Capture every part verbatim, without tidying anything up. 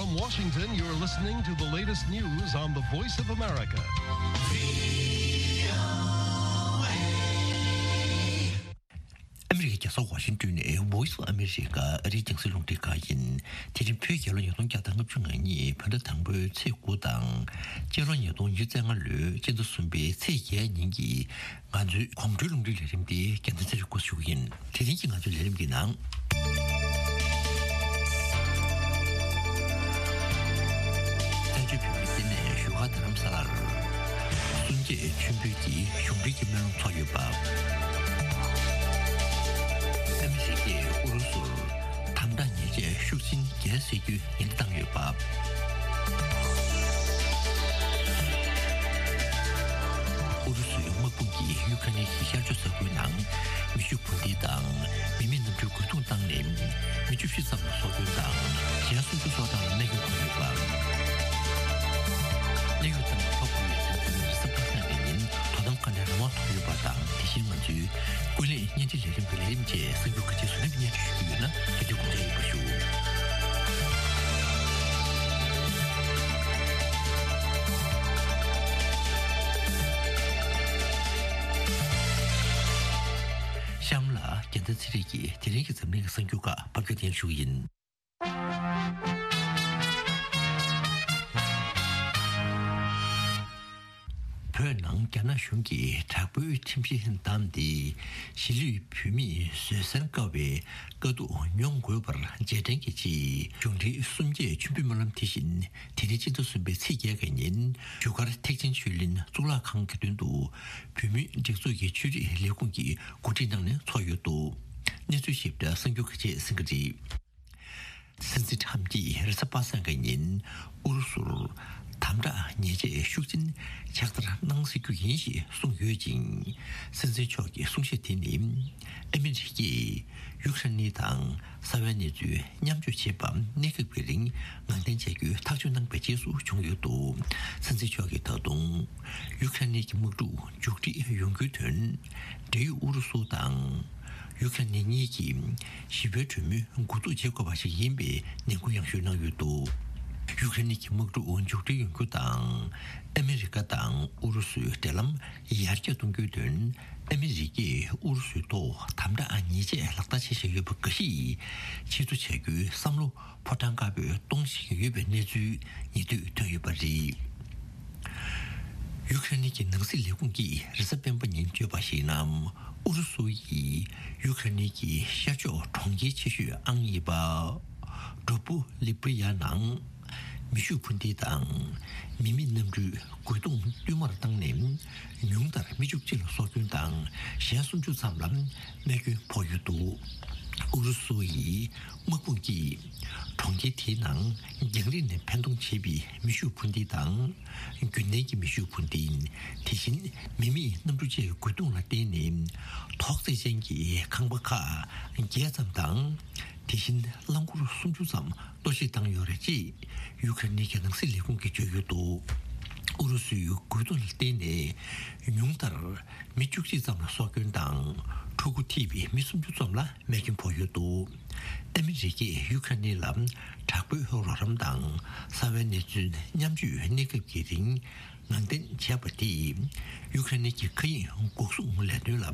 From Washington, you're listening to the latest news on the Voice of America. ཨ་མི་རི་ཀའི་རྒྱལ་ས་ཝ་ཤིང་ཏོན་ནས་Voice of America ཨ་རིའི་རྒྱང་སྲིང་རླུང་འཕྲིན་ཁང་ཡིན། དེ་རིང་བོད་རྒྱལ་ལོ་ཉིས་སྟོང་བརྒྱ་དང་ལྔ་བཅུ་ང་གཉིས་བོད་ཟླ་དང་པོའི་ཚེས་དགུ་དང་། སྤྱི་ལོ་ཉིས་སྟོང་ཉི་ཤུ་རྩ་ལྔ་ལོའི་སྤྱི་ཟླ་གསུམ་པའི་ཚེས་བརྒྱད་ཉིན་གྱི་ང་ཚོའི་གོང་བཀྲོལ་རླུང་འཕྲིན་ལས་རིམ་དེ་རྒྱལ་མཚན་ཚེ་རིང་སྐུ་ཞུ་གི་ཡིན། དེ་རིང་གི་ང་ཚོའི་ལས་རིམ་གྱི་ནང་། བཙན་བྱོལ་བོད་མིའི་ལྟེ་གནས་བཞུགས་སྒར་རྡ་རམ་ས་ལར། གསུམ་བརྒྱད་མཆོད་འབུལ་གྱི་གཞུང་འབྲེལ་གྱི་སྨོན་ལམ་ཚོགས་ཡོད་པ། ཨ་མི་རི་ཀས་ཨུ་རུ་སུར་དམ་དྲག་ཉེས་ཆད་ཤུགས་ཆེན་བརྒྱད་བསྲེ་རྒྱུའི་ཉེན་བརྡ་བཏང་ཡོད་པ། ཨུ་རུ་སུའི་དམག་དཔུང་གིས་ཡུ་ཁ་རེན་གྱི་ཤར་ཕྱོགས་ས་ཁུལ་ནང་མེ་ཤུགས་འཕུར་མདེལ་དང་མི་མེད་གནམ་གྲུའི་རྒོལ་རྡུང་བཏང་ནས་མི་བཅུ་བཞི་ཙམ་ལ་སྲོག་སྐྱོན་དང་གཞན་སུམ་ཅུ་སོགས་ལ་རྨས་སྐྱོན་ཕོག་ཡོད་པ། གནད་ཡོད་ཏང་གི་ཚོགས་འཁོར་ཡོད་ཚད་འཛིན་རིམ་པ་ཁག་ནས་ཉིན་དོ་དམ་ཁང་ནས་རང་དབང་ཐོབ་ཡོད་པ་དང་། དེ་བཞིན་ང་ཚོའི་ཀུན་གླེང་བརྙན་འཕྲིན་ལས་རིམ་གྱི་ལས་རིམ་བཅས་གསར་འགྱུར་ག་ཅིའི་བཟོ་རིམ་སྙན་སྒྲོན་ཞུ་རྒྱུ་ཡོད་ན་དེ་དུས་དགོངས་འཇགས་ཡོད་པ་ཞུ། གཤམ་ལ་རྒྱལ་མཚན་ཚེ་རིང་གིས་དེ་རིང་གི་འཛམ་གླིང་གི་གསར་འགྱུར་ཁག་ཕབ་སྒྱུར་སྙན་ཞུ་ཡིན། བོད་ནང་རྒྱ་ནག་གཞུང་གིས་དྲག་པོའི་ཁྲིམས་གཞི་བསྡམས་ཏེ། གཞིས་ལུས་བོད་མིས་བཟོད་བསྲན་དཀའ་བའི་དཀའ་སྡུག་མྱོང་དགོས་པར་རྗེས་དྲན་གྱི་ཆེད། གཞུང་འབྲེལ་གསུམ་བརྒྱད་མཆོད་འབུལ་སྨོན་ལམ་དེ་བཞིན་དེ་རིང་སྤྱི་ཟླ་གསུམ་པའི་ཚེས་བརྒྱད་ཀྱི་ཉིན་བཞུགས་སྒར་ཐེག་ཆེན་ཆོས་གླིང་གཙུག་ལག་ཁང་གི་མདུན་དུ་བོད་མིའི་སྒྲིག་འཛུགས་ཀྱི་ཆོས་རིག་ལས་ཁུངས་ཀྱིས་གོ་སྒྲིག་གནང་ནས་ཚོགས་ཡོད་འདུག་གནས་ཚུལ་ཞིབ་ཕྲ་གསར་འགྱུར་ཁག་ཅིག་གསན་གྱི་རེད། སྲིད་འཛིན་ཁྲམ་གྱིས་རེས་གཟའ་པ་སངས་ཀྱི་ཉིན་ཨུ་རུ་སུར་དམ་དྲག་ཉེས་ཆད་ཤུགས་ཆེན་ཕྱག་བསྟར་གནང་སྲིད་རྒྱུ་ཡིན་ཞེས་གསུངས་ཡོད་ཅིང་། སྲིད་འཛིན་མཆོག་གི་གསུང་བཤད་དེ་ནི་ཨ་མི་རི་ཀས་ཡུ་ཁ་རེན་དང་ས་བོན་གནས་ཚུལ་མཉམ་སྤྱོད་བྱེད་པ་གནས་སྐབས་ཀྱི་རིང་ངང་འཐེན་བྱ་རྒྱུའི་ཐག་གཅོད་གནང་པའི་རྗེས་སུ་བྱུང་ཡོད་འདུག་སྲིད་འཛིན་མཆོག་གིས་ད་དུང་ཡུ་ཁ་རེན་གྱི་དམག་འཁྲུག་མཇུག་སྒྲིལ་ཡོང་རྒྱུའི་དོན་འབྲེལ་ཡོད་ཨུ་རུ་སུ་དང་། ཡུ་ཁ་རེན་གཉིས་ཀྱིས་ཞི་བའི་གྲོས་མོལ་འགོ་འཛུགས་བྱེད་དགོས་པ་ཞིག་ཡིན་པའི་ནན་སྐུལ་ཡང་ཞུ་གནང་ཡོད་འདུག་ཡུ་ཁ་རེན་གྱི་དམག་འཁྲུག་མཇུག་སྒྲིལ་ཡོང་རྒྱུ་དང་། ཨ་མི་རི་ཀ་དང་ཨུ་རུ་སུའི་འབྲེལ་ལམ་ཡར་རྒྱས་གཏོང་རྒྱུའི་དོན། ཨ་མི་རི་ཀས་ཨུ་རུ་སུའི་ཐོག་དམ་དྲག་ཉེས་ཆད་ལག་བསྟར་བྱེད་བཞིན་ཡོད་པ་འགའ་ཞིག་ཕྱིར་བསྡུ་བྱ་རྒྱུའི་བསམ་བློ་ཕོ་བྲང་དཀར་པོས་གཏོང་བཞིན་ཡོད་པའི་གནས་ཚུལ་ཉེ་དུས་ཐོན་ཡོད་པ་རེད། ཡུ་ཁ་རེན་གྱི་ནང་སྲིད་ལས་ཁུངས་ཀྱིས་རེས་གཟའ་སྤེན་པ་ཉིན་བརྗོད་པར་གཞིགས་ན། ཨུ་རུ་སུ་ཡིས་ཡུ་ཁ་རེན་གྱི་ཤར་ཕྱོགས་གྲོང་ཁྱེར་ཆེ་ཤོས་ཨང་གཉིས་པ་ཌོ་པུ་ལི་པི་ཡ་ནང་མེ་ཤུགས་འཕུར་མདེལ་དང་མི་མེད་གནམ་གྲུའི་རྒོལ་རྡུང་བསྟུད་མར་བཏང་ནས། ཉུང་མཐར་མི་བཅུ་གཅིག་ལ་སྲོག་སྐྱོན་དང་གཞན་སུམ་ཅུ་ཙམ་ལ་རྨས་སྐྱོན་ཕོག་ཡོད་འདུག་ཨུ་རུ་སུ་ཡི་དམག་དཔུང་གིས་གྲོང་ཁྱེར་དེའི་ནང་རྒྱང་རིང་ནས་འཕེན་གཏོང་བྱེད་པའི་མེ་ཤུགས་འཕུར་མདེལ་དང་། རྒྱུན་ལྡན་གྱི་མེ་ཤུགས་འཕུར་མདེལ། དེ་བཞིན་མི་མེད་གནམ་གྲུ་བཅས་ཀྱི་རྒོལ་རྡུང་ལ་བརྟེན་ནས་ཐོག་བརྩེགས་ཅན་གྱི་ཁང་པ་ཁག་བརྒྱད་ཙམ་དང་། དེ་བཞིན་རླངས་འཁོར་སུམ་ཅུ་ཙམ་གཏོར་བཤིག་བཏང་ཡོད་རེད། ཅེས་ཡུ་ཁ་རེན་གྱི་ནང་སྲིད་ལས་ཁུངས་ཀྱིས་བརྗོད་ཡོད་འདུག་ཨུ་རུ་སུའི་རྒོལ་རྡུང་ལ་བརྟེན་ནས་ཉུང་མཐར་མི་བཅུ་གཅིག་ཙམ་ལ་སྲོག་སྐྱོན་དང་། ཕྲུ་གུ་ཐེ་བའི་མི་སུམ་ཅུ་ཙམ་ལ་རྨས་སྐྱོན་ཕོག་ཡོད་འདུག་ཨ་མི་རི་ཀས་ཡུ་ཁ་རེན་ལ་དྲག་པོའི་རོགས་རམ་དང་ས་བོན་གནས་ཚུལ་མཉམ་སྤྱོད་གནས་སྐབས་ཀྱི་རིང་ངང་འཐེན་བྱས་པ་དེས་ཡུ་ཁ་རེན་གྱི་མཁའ་དབྱིངས་འགོག་སྲུང་ལས་དོན་ལ་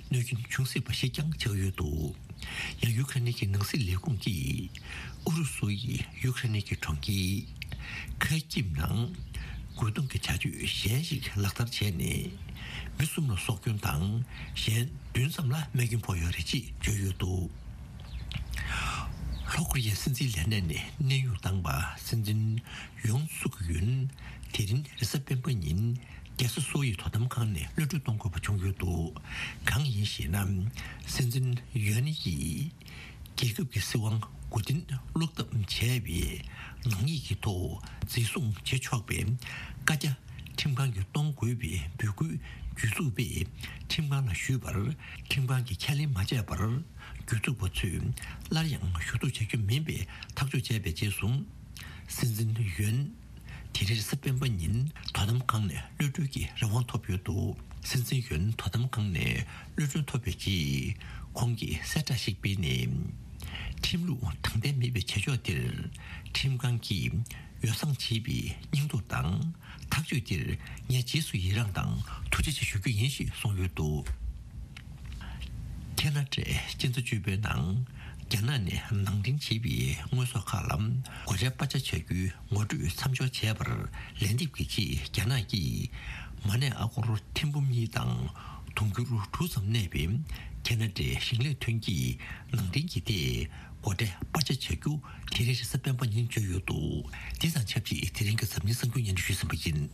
གནོད་སྐྱོན་འབྱུང་སྲིད་པ་ཞིག་ཀྱང་ཆགས་ཡོད་འདུག་ཡང་ཡུ་ཁ་རེན་གྱི་ནང་སྲིད་ལས་ཁུངས་ཀྱིས་ཨུ་རུ་སུ་ཡིས་ཡུ་ཁ་རེན་གྱི་གྲོང་ཁྱེར་ཁ་ཀིབ་ནང་རྒོལ་རྡུང་གི་བྱ་སྤྱོད་གཞན་ཞིག་ལག་བསྟར་བྱས་ནས་མི་གསུམ་ལ་སྲོག་སྐྱོན་དང་གཞན་བདུན་ཙམ་ལ་རྨས་སྐྱོན་ཕོག་ཡོད་རེད་ཅེས་བརྗོད་ཡོད་འདུག་ལྷོ་ཀོ་རི་ཡའི་སྲིད་འཛིན་ལས་གནས་ནས་གནས་དབྱུང་བཏང་པ་སྲིད་འཛིན་ཡོན་སུག་ཡོན་དེ་རིང་རེས་གཟའ་སྤེན་པ་ཉིན་རྒྱལ་ས་སོལ་ཡི་དོ་དམ་ཁང་ནས་གློད་གྲོལ་གཏོང་དགོས་པ་བྱུང་ཡོད་འདུག་གང་ཡིན་ཞེ་ན། སྲིད་འཛིན་ཡོན་ཡིས་རྒྱལ་ཁབ་ཀྱི་སྲིད་དབང་མགོ་རྟིང་སློག་ཐབས་བྱས་པའི་ནག་ཉེས་ཀྱི་ཐོག་འཛིན་བཟུང་བྱེད་ཆོག་པའི་བཀའ་རྒྱ་ཁྲིམས་ཁང་གིས་གཏོང་དགོས་པའི་འབོད་སྐུལ་གྱོད་འཛུགས་པས་ཁྲིམས་ཁང་ལ་ཞུས་པར་ཁྲིམས་ཁང་གིས་ཁས་ལེན་མ་བྱས་པར། གྱོད་འཛུགས་པ་ཚོས་སླར་ཡང་ཞུ་གཏུག་བྱ་རྒྱུ་མིན་པའི་ཐག་གཅོད་བྱས་པའི་རྗེས་སུ། སྲིད་འཛིན་ཡོན་དེ་རིང་རེས་གཟའ་སྤེན་པ་ཉིན་དོ་དམ་ཁང་ནས་གློད་གྲོལ་གྱི་རང་དབང་ཐོབ་ཡོད་འདུག་སྲིད་འཛིན་ཡོན་དོ་དམ་ཁང་ནས་གློད་གྲོལ་ཐོབ་པའི་རྗེས་ཁོང་གིས་གསལ་བསྒྲགས་ཤིག་སྤེལ་ནས། ཁྲིམས་ལུགས་དྲང་བདེན་མེད་པའི་བྱ་སྤྱོད་དེར་ཁྲིམས་ཁང་གིས་ཡོ་བསྲང་བྱས་པའི་སྙིང་སྟོབས་དང་ཐག་གཅོད་དེར་ངས་རྗེས་སུ་ཡི་རངས་དང་ཐུགས་རྗེ་ཆེ་ཞུ་རྒྱུ་ཡིན་ཞེས་གསུངས་ཡོད་འདུག་ཁེ་ན་ཌའི་སྤྱི་ཟླ་བཅུ་པའི་ནང་རྒྱ་ནག་ནས་ནང་འདྲེན་བྱས་པའི་དངོས་ཟོག་ཁག་ལ་སྒོ་ཁྲལ་སྤར་ཆ་བྱ་རྒྱུའི་ངོ་སྤྲོད་མཚམས་འཇོག་བྱས་པར་ལན་འདེབས་ཀྱི་ཆེད་རྒྱ་ནག་གིས་མ་ཎི་ཨ་སྒོར་ཐེར་འབུམ་གཉིས་དང་དུང་ཕྱུར་དྲུག་ཙམ་གནས་པའི་ཁེ་ན་ཌའི་ཞིང་ལས་ཐོན་སྐྱེད་ནང་འདྲེན་གྱི་ཐད་སྒོ་ཁྲལ་སྤར་ཆ་བྱ་རྒྱུ་དེ་རིང་རེས་གཟའ་སྤེན་པ་ཉིན་བརྗོད་ཡོད་འདུག་དེ་དང་ཆབས་ཅིག་དེ་རིང་གི་འཛམ་གླིང་གསར་འགྱུར་སྙན་སྒྲོན་ཞུས་ཟིན་པ་ཡིན།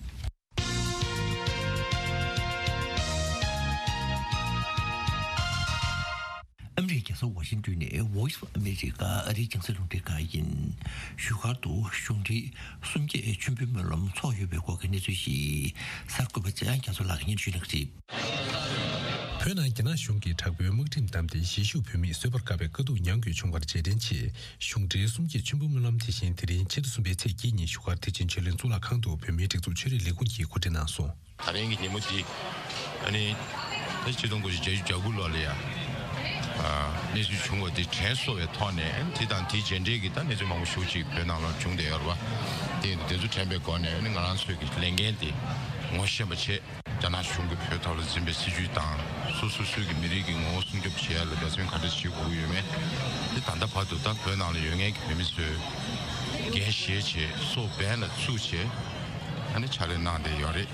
ཨ་མི་རི་ཀའི་རྒྱལ་ས་ཝ་ཤིང་ཏོན་ནས་Voice of America ཨ་རིའི་རྒྱང་སྲིང་རླུང་འཕྲིན་ཁང་ཡིན། བཞུགས་སྒར་དུ་གཞུང་འབྲེལ་གསུམ་བརྒྱད་མཆོད་འབུལ་སྨོན་ལམ་འཚོགས་ཡོད་པའི་སྐོར་གྱི་གནས་ཚུལ་ཞིག་གསར་འགོད་པ་འཇམ་དབྱངས་རྒྱ་མཚོ་ལགས་ཀྱིས་སྙན་ཞུ་གནང་གི་རེད། བོད་ནང་རྒྱ་ནག་གཞུང་གིས་དྲག་པོའི་དམག་ཁྲིམས་བསྡམས་ཏེ་གཞིས་བཞུགས་བོད་མིས་བཟོད་པར་དཀའ་བའི་དཀའ་སྡུག་མྱངས་དགོས་བྱུང་བར་རྗེས་དྲན་ཆེད། གཞུང་འབྲེལ་གསུམ་བརྒྱད་མཆོད་འབུལ་སྨོན་ལམ་དེ་བཞིན་དེ་རིང་ཕྱི་ཟླ་གསུམ་པའི་ཚེས་བརྒྱད་ཉིན་བཞུགས་སྒར་བདེ་ཆེན་ཆོས་གླིང་གཙུག་ལག་ཁང་དུ་བོད་མིའི་སྒྲིག་འཛུགས་ཆོས་རིག་ལས་ཁུངས་ཀྱིས་གོ་སྒྲིག་གནང་སོང་། ད་རིང་གི་ཉིན་མོ་འདི་ཨ་ནི་ད་ཆིག་སྟོང་དགུ་བརྒྱ་བརྒྱད་ཅུ་གྱ་དགུ་ལོ་ལ་ཡ་ཨ་གནས་ཚུལ་བྱུང་བ་འདི་དྲན་གསོ་བའི་ཐོག་ནས་དེ་དང་དེའི་རྗེས་འབྲེལ་གྱི་ད་གནས་ཚུལ་མང་པོ་ཞེ་པོ་ཅིག་བོད་ནང་ལ་བྱུང་བསྡད་ཡོད་རེད་བ། དེ་ཡིན་དུས་དེ་ཚོ་དྲན་པའི་སྒོ་ནས་ཨ་ནི་ང་རང་ཚོའི་གི་ལས་འགན་དེ་ངོ་ཤེས་པ་བྱས། རྒྱ་ནག་གཞུང་གིས་བོད་ཐོག་ལ་འཛིན་པའི་སྲིད་བྱུས་དང་སོ་སོ་སོའི་གི་མི་རིགས་ཀྱི་ངོ་བོ་སྲུང་སྐྱོབ་བྱེད་ཡ་ལ་འབད་བརྩོན་ག་འདྲ་བྱེད་དགོས་ཀྱི་ཡོད་མེད་དེ་ད་ལྟ་བར་དུ་ད་བོད་ནང་ལ་ཡོད་མཁན་གྱི་བོད་མི་ཚོས་འགན་བཞེས་བྱས་སྲོག་འབེན་ལ་བཙུགས་བྱས་ཨ་ནི་ཕྱག་ལས་གནང་བསྡད་ཡོད་རེད།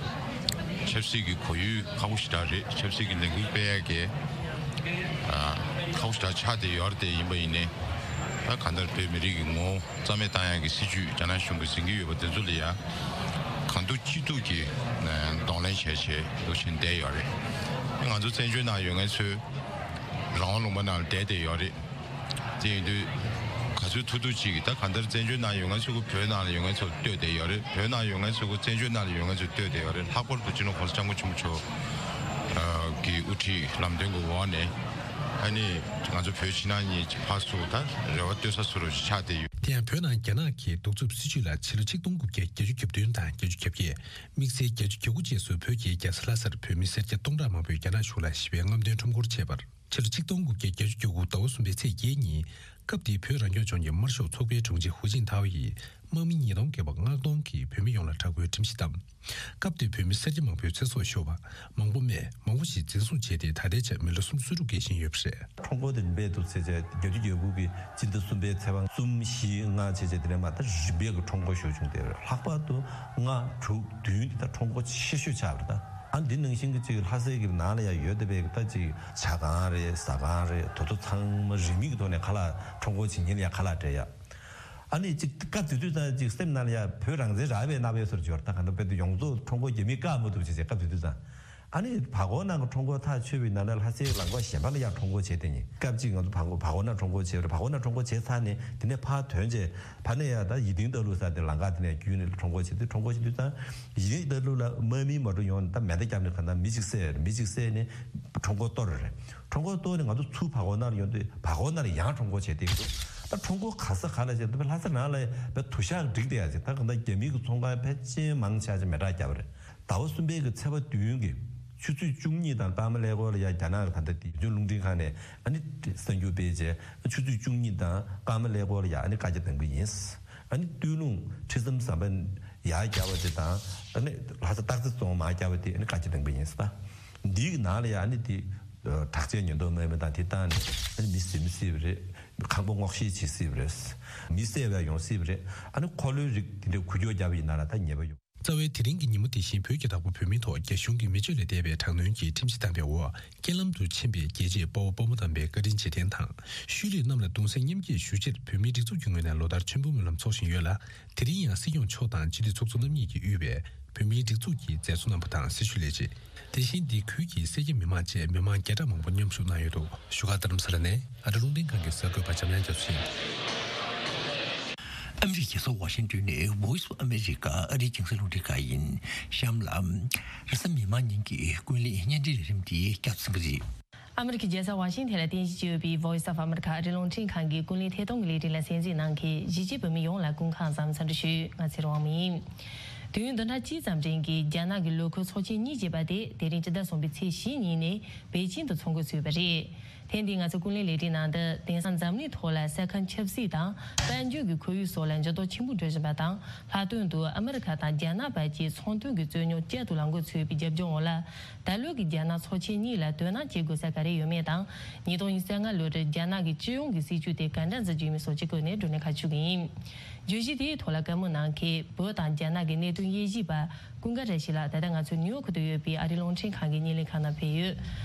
ཆབ་སྲིད་ཀྱི་གོ་ཡུལ་ཁག་པོ་ཞེ་དྲག་རེད། ཆབ་སྲིད་ཀྱི་ལས་འགུལ་སྤེལ་ཡ་གི་ཨ་ཁག་པོ་ཞེ་དྲག་ཆགས་བསྡད་ཡོད་རེད། དེ་ཡིན་པ་ཡིན་ནའི་ད་གང་ལྟར་བོད་མི་རིགས་ཀྱི་ངོ་བོ་རྩ་མེད་བཏང་ཡག་གི་སྲིད་བྱུས་རྒྱ་ནག་གཞུང་གིས་འཛིན་གྱི་ཡོད་པ་དེ་ཚོ་ལ་ཡང་གང་ཐུབ་ཅི་ཐུབ་ཀྱིས་གདོང་ལེན་བྱས་བྱས་འདུག་བཞིན་བསྡད་ཡོད་རེད། ང་ཚོ་བཙན་བྱོལ་ནང་ཡོད་མཁན་ཚོས་རང་དབང་ལུང་པ་ནང་ལ་བསྡད་བསྡད་ཡོད་རེད། དེ་ཡིན་དུས་ག་ཚོད་ཐུབ་ཐུབ་ཅིག་གིས་ད་གང་ལྟར་བཙན་བྱོལ་ནང་ཡོད་མཁན་ཚོ་གི་བོད་ནང་ལ་ཡོད་མཁན་ཚོ་ལྟོས་བསྡད་ཡོད་རེད། བོད་ནང་ཡོད་མཁན་ཚོ་གི་བཙན་བྱོལ་ནང་ལ་ཡོད་མཁན་ཚོ་ལྟོས་བསྡད་ཡོད་རེད། ལྷག་པར་དུ་སྤྱི་ནོར་༸གོང་ས་༸སྐྱབས་མགོན་ཆེན་པོ་མཆོག་གི་དབུ་ཁྲིད་ལམ་སྟོན་གྱི་འོག་ནས་ཨ་ནི་ང་ཚོ་བོད་ཕྱི་ནང་གཉིས་ཀྱི་ཕར་ཚུར་ད་རེ་བ་གཏོད་ས་བཟོ་འདྲ་ཞིག་ཆགས་བསྡད་ཡོད། དེ་ཡང་བོད་ནང་རྒྱ་ནག་གི་གདུག་རྩུབ་སྲིད་བྱུས་ལ་ཕྱི་ལོ་ཆིག་སྟོང་དགུ་བརྒྱ་བརྒྱད་ཅུ་གྱ་བདུན་དང་བརྒྱད་ཅུ་གྱ་བརྒྱད། དམིགས་བསལ་བརྒྱད་ཅུ་གྱ་དགུ་རྗེས་སུ་བོད་ཀྱི་རྒྱལ་ས་ལྷ་སར་བོད་མི་སེར་སྐྱ་སྟོང་ཕྲག་མང་པོས་རྒྱ་ནག་གཞུང་ལ་ཞི་བའི་རྔམ་སྟོན་ཁྲོམ་སྐོར་བྱས་པར། ཕྱི་ལོ་ཆིག་སྟོང་དགུ་བརྒྱ་བརྒྱད་ཅུ་གྱ་དགུ་ཟླ་བ་གསུམ་པའི་ཚེས་བརྒྱད་ཉིན། སྐབས་དེའི་བོད་རང་སྐྱོང་ལྗོངས་ཀྱི་དམར་ཤོག་ཚོགས་པའི་དྲུང་ཆེ་ཧུའུ་ཅིན་ཐའོ་ཡིས་དམག་མི་ཉིས་སྟོང་བརྒལ་བ་མངགས་གཏོང་གིས་བོད་མི་ཡོངས་ལ་དྲག་པོའི་ཁྲིམས་གཞི་བསྡམས། སྐབས་དེར་བོད་མི་སེར་སྐྱ་མང་པོའི་ཚེ་སྲོག་ཤོར་བ། མང་པོ་རྨས། མང་པོ་ཞིག་འཛིན་བཟུང་བྱས་ཏེ་ད་ལྟའི་ཆར་མི་ལོ་སུམ་ཅུ་སོ་དྲུག་བརྒལ་བཞིན་ཡོད་པ་རེད། ཁྲོམ་སྐོར་དེ་རིམ་པས་འདུག་ཚེས་བརྒྱད་ཅུ་གྱ་དགུ་གི་སྤྱི་ཟླ་གསུམ་པའི་ཚེས་པ་གསུམ་བཞི་ལྔ་བྱས་བྱས་དེ་ནས་མ་ད་རིམ་པས་ཀྱི་ཁྲོམ་སྐོར་ཞེ་པོ་བྱུང་སྟེ་ལྷག་པར་དུ་ལྔ་དྲུག་བདུན་དེ་ད་ཁྲོམ་སྐོར་ཆེ་ཤོས་ཆགས་པ་རེད། ད་ཨ་འདི་ནང་བཞིན་གྱི་ཅིག་ལྷ་སའི་གི་ནང་ལ་ཡང་ཡོད་བསྡད་པའི་ད་ཅིག་ཇ་ཁང་རེད། ཟ་ཁང་རེད། དེ་ཚོ་ཚང་མ་རིན་མེད་ཀྱི་ཐོག་ནས་ཁ་ལག་ཁྲོམ་སྐོར་བྱེད་མཁན་ལ་ཡང་ཁ་ལག་སྤྲད་ཡ། ཨ་ནི་ཅིག་སྐབས་དེ་དུས་ཙང་ཅིག་སེམས་ནང་ལ་ཡ་བོད་རང་བཙན་རག་པའི་རྣམ་པའི་སོར་འབྱོར། ད་ག་འདྲ་དཔེ་དེ་ཡོངས་རྫོགས་ཁྲོམ་སྐོར་རྒྱག་མི་བཀག་མ་ཐུབ་བྱས་བྱས་སྐབས་དེ་དུས་ཙང་། ཨ་ནི་བར་སྐོར་ནང་གི་ཁྲོམ་སྐོར་ཐག་ཆོད་པའི་ནང་ལ་ལྷ་སའི་ལམ་ཁ་གཞན་པ་ལ་ཡང་ཁྲོམ་སྐོར་བྱས་བསྡད་མཁན། སྐབས་གཅིག་ང་ཚོ་བར་སྐོར་བར་སྐོར་ནང་ཁྲོམ་སྐོར་བྱས་རེད། བར་སྐོར་ནང་ཁྲོམ་སྐོར་བྱས་ཚར་ནས་དེ་ནས་ཕར་ཐོན་བྱས་ཕར་ནས་ཡ་ད་ཡིད་ཐིང་ལྟ་ལུགས་ས་དེ་ལམ་ཁ་དེ་ནས་བརྒྱུད་ནས་ཁྲོམ་སྐོར་བྱས་དུས་ཁྲོམ་སྐོར་བྱེད་དུས་ཙང་ཡིད་ཐིང་ལྟ་ལུགས་ལ་དམག་མི་མ་འགྲོ་ཡོང་ནས་ད་མེ་མདའ་བརྒྱབ་ནས་གང་ལྟར་མི་གཅིག་བསད་རེད། མི་གཅིག་བསད་ནས་ཁྲོམ་སྐོར་གཏོར་རེད། ཁྲོམ་སྐོར་གཏོར་ནས་ང་ཚོ་ཚུར་བར་སྐོར་ནང་ལ་ཡོང་དུས་བར་སྐོར་ནང་ལ་ཡང་ཁྲོམ་སྐོར་བྱས་བསྡད་འདུག་ད་ཁྲོམ་སྐོར་ག་ས་ག་ལ་བྱས་ད་ལྷ་ས་ནང་ལ་བས་དུ་ཞག་འགྲིག་བསྡད་ཡ་ཅིག་ད་གང་ལྟར་རྒྱ་མི་གི་ཚོང་ཁང་ཕལ་ཆེར་མང་ཆེ་ཆ་མེ་སྲེག་བརྒྱབ་པ་རེད། ཟླ་བ་གསུམ་པའི་གི་ཚེས་པ་བདུན་གི་ཆུ་ཚོད་བཅུ་གཉིས་དང་སྐར་མ་ཀླད་ཀོར་ལ་ཡ་རྒྱ་ནག་གི་ད་ལྟ་དེ་བོད་ལྗོངས་རླུང་འཕྲིན་ཁང་ནས་ཨ་ནི་གསར་འགྱུར་སྤེལ་རྗེས་ཆུ་ཚོད་བཅུ་གཉིས་དང་སྐར་མ་ཀླད་ཀོར་ལ་ཡ་ཨ་ནི་བཀའ་རྒྱ་གཏང་གི་ཡིན། ཨ་ནི་སྟོད་ལུང་ཁྲི་ཟམ་ཟམ་པ་ཡར་བརྒྱབ་པ་དེ་དང་ཨ་ནི་ལྷ་ས་སྟག་རྩེ་རྫོང་མར་བརྒྱབ་པ་དེ་ཨ་ནི་བཀའ་རྒྱ་གཏང་གི་ཡིན་ཟེར། ད་འདིའི་གི་ནང་ལ་ཡ་ཨ་ནི་དེ་དྲག་ཆས་ཉེན་རྟོག་དམག་མི་དང་དེ་བཏང་ནས་ཨ་ནི་མི་ཟིན་མི་སྲིད་པ་རེད། ཁང་པ་སྔོག་བཤེར་བྱེད་སྲིད་པ་རེད། མི་བསད་པ་ཡོང་སྲིད་པ་རེད། ཨ་ནི་འཁོར་ལོའི་རིགས་དེ་འདྲའི་འགུལ་སྐྱོད་བརྒྱབ་པ་ཡིན་ན་ལ་ད་ཉེས་པ་ཡོང་། རྩ་བའི་དེ་རིང་གི་ཉིན་མོ་དེ་བཞིན་བོད་ཀྱི་བདག་པོ་བོད་མིའི་ཐོག་རྒྱ་གཞུང་གིས་མི་སྤྱོད་ལས་འདས་པའི་དྲག་གནོན་གྱི་ཁྲིམས་གཞི་བཏང་པའི་འོག་རྐྱེན་ལམ་དུ་ཕྱིན་པའི་རྒྱལ་གཅེས་དཔའ་བོ་དཔའ་མོ་དམ་པའི་བཀའ་དྲིན་རྗེས་དྲན་དང་། ཤུལ་ལུས་རྣམས་ལ་གདུང་སེམས་མཉམ་སྐྱེད་ཞུ་ཕྱིར་བོད་མིའི་སྒྲིག་འཛུགས་ཀྱི་ངོས་ནས་ལོ་ལྟར་མཆོད་འབུལ་སྨོན་ལམ་འཚོགས་བཞིན་ཡོད་ལ། དེ་རིང་ཡང་སྲིད་སྐྱོང་མཆོག་དང་སྤྱི་འཐུས་ཚོགས་གཙོ་རྣམ་གཉིས་ཀྱིས་དབུས་པའི་བོད་མིའི་སྒྲིག་འཛུགས་ཀྱི་མཛད་གཙོ་རྣམ་པ་དང་སྲི་ཞུ་ལས་བྱེད། དེ་བཞིན་འདི་ཁུལ་གྱི་སེར་སྐྱ་མི་མང་བཅས་མི་མང་བརྒྱ་ཕྲག་མང་པོ་མཉམ་ཞུགས་གནང་ཡོད་འདུག་བཞུགས་སྒར་རྡ་རམ་ས་ལ་ནས་ཨ་རི་རླུང་འཕྲིན་ཁང་གི་གསར་འགོད་པ་འཇམ་དབྱངས་རྒྱ་མཚོ་ཡིན། ཨ་མི་རི་ཀའི་རྒྱལ་ས་ཝ་ཤིང་ཏོན་ནས་Voice of America ཨ་རིའི་རྒྱང་སྲིང་རླུང་འཕྲིན་ཁང་ཡིན། གཤམ་ལ། རེས་གཟའ་མིག་དམར་ཉིན་གྱི་ཀུན་གླེང་བརྙན་འཕྲིན་ལས་རིམ་འདི་བསྐྱར་དུ་གསན་གྱི་རེད། ཨ་མི་རི་ཀའི་རྒྱལ་ས་ཝ་ཤིང་ཐན་ལ་རྟེན་གཞི་བྱས་ཡོད་པའི་Voice of America ཨ་རིའི་རླུང་འཕྲིན་ཁང་གི་ཀུན་གླེང་ཐད་གཏོང་གི་ལས་རིམ་ལ་གསན་གཟིགས་གནང་མཁན་གཞིས་བྱེས་བོད་མི་ཡོངས་ལ་སྐུ་ཁམས་བཟང་འཚམས་འདྲི་ཞུ། ང་ཚེ་རིང་དབང་མོ་ཡིན། དུས་ཡུན་བདུན་ཕྲག་གཅིག་ཙམ་རིང་གི་རྒྱ་ནག་གི་ལོ་འཁོར་ཚོགས་ཆེན་གཉིས་ཅེས་པ་དེ་དེ་རིང་སྤྱི་ཟླ་གསུམ་པའི་ཚེས་བཞི་ཉིན་ནས་པེ་ཅིང་དུ་འཚོགས་འགོ་ཚུགས་པ་རེད། ཐེངས་འདིའི་ང་ཚོའི་ཀུན་གླེང་ལས་རིམ་ནང་དུ་དེང་སང་འཛམ་གླིང་ཐོག་ལ་ས་ཁམས་ཆབ་སྲིད་དང་དཔལ་འབྱོར་གྱི་ཁོར་ཡུག་སོགས་ལ་འགྱུར་ལྡོག་ཆེན་པོ་འགྲོ་བཞིན་པ་དང་། ལྷག་དོན་དུ་ཨ་མི་རི་ཁ་དང་རྒྱ་ནག་བར་གྱི་ཚོང་དོན་གྱི་རྩོད་རྙོག་བསྐྱར་དུ་ལངས་འགོ་ཚུགས་པའི་རྒྱབ་ལྗོངས་འོག་ལ། ད་ལོའི་གི་རྒྱ་ནག་ཚོགས་ཆེན་གཉིས་ལ་དོ་སྣང་བྱེད་དགོས་ས་ག་རེ་ཡོད་མེད་དང་། ཉིས་སྟོང་ཉི་ཤུ་རྩ་ལྔ་ལོར་རྒྱ་ནག་གི་སྤྱི་ཡོངས་ཀྱི་སྲིད་བྱུས་དེ་ག་འདྲ་འཛིན་རྒྱུ་ཡིན་མིན་སོགས་ཀྱི་སྐོར་ནས་བགྲོ་གླེང་ཁ་ཕྱོགས་ཀྱི་ཡིན། བརྗོད་གཞི་དེའི་ཐོག་ལ་བཀའ་མོལ་གནང་མཁན་བོད་དང་རྒྱ་ནག་གི་གནད་དོན་དབྱེ་ཞིབ་པ་ཀུན་དགའ་བཀྲ་ཤིས་ལགས་ད་ལྟ་ང་ཚོའི་ནིའུ་ཡོག་ཏུ་ཡོད་པའི་ཨ་རིའི་རླུང་འཕྲིན་ཁང་གི་བརྙན་ལེན་ཁང་ནང་ཕེབས་ཡོད།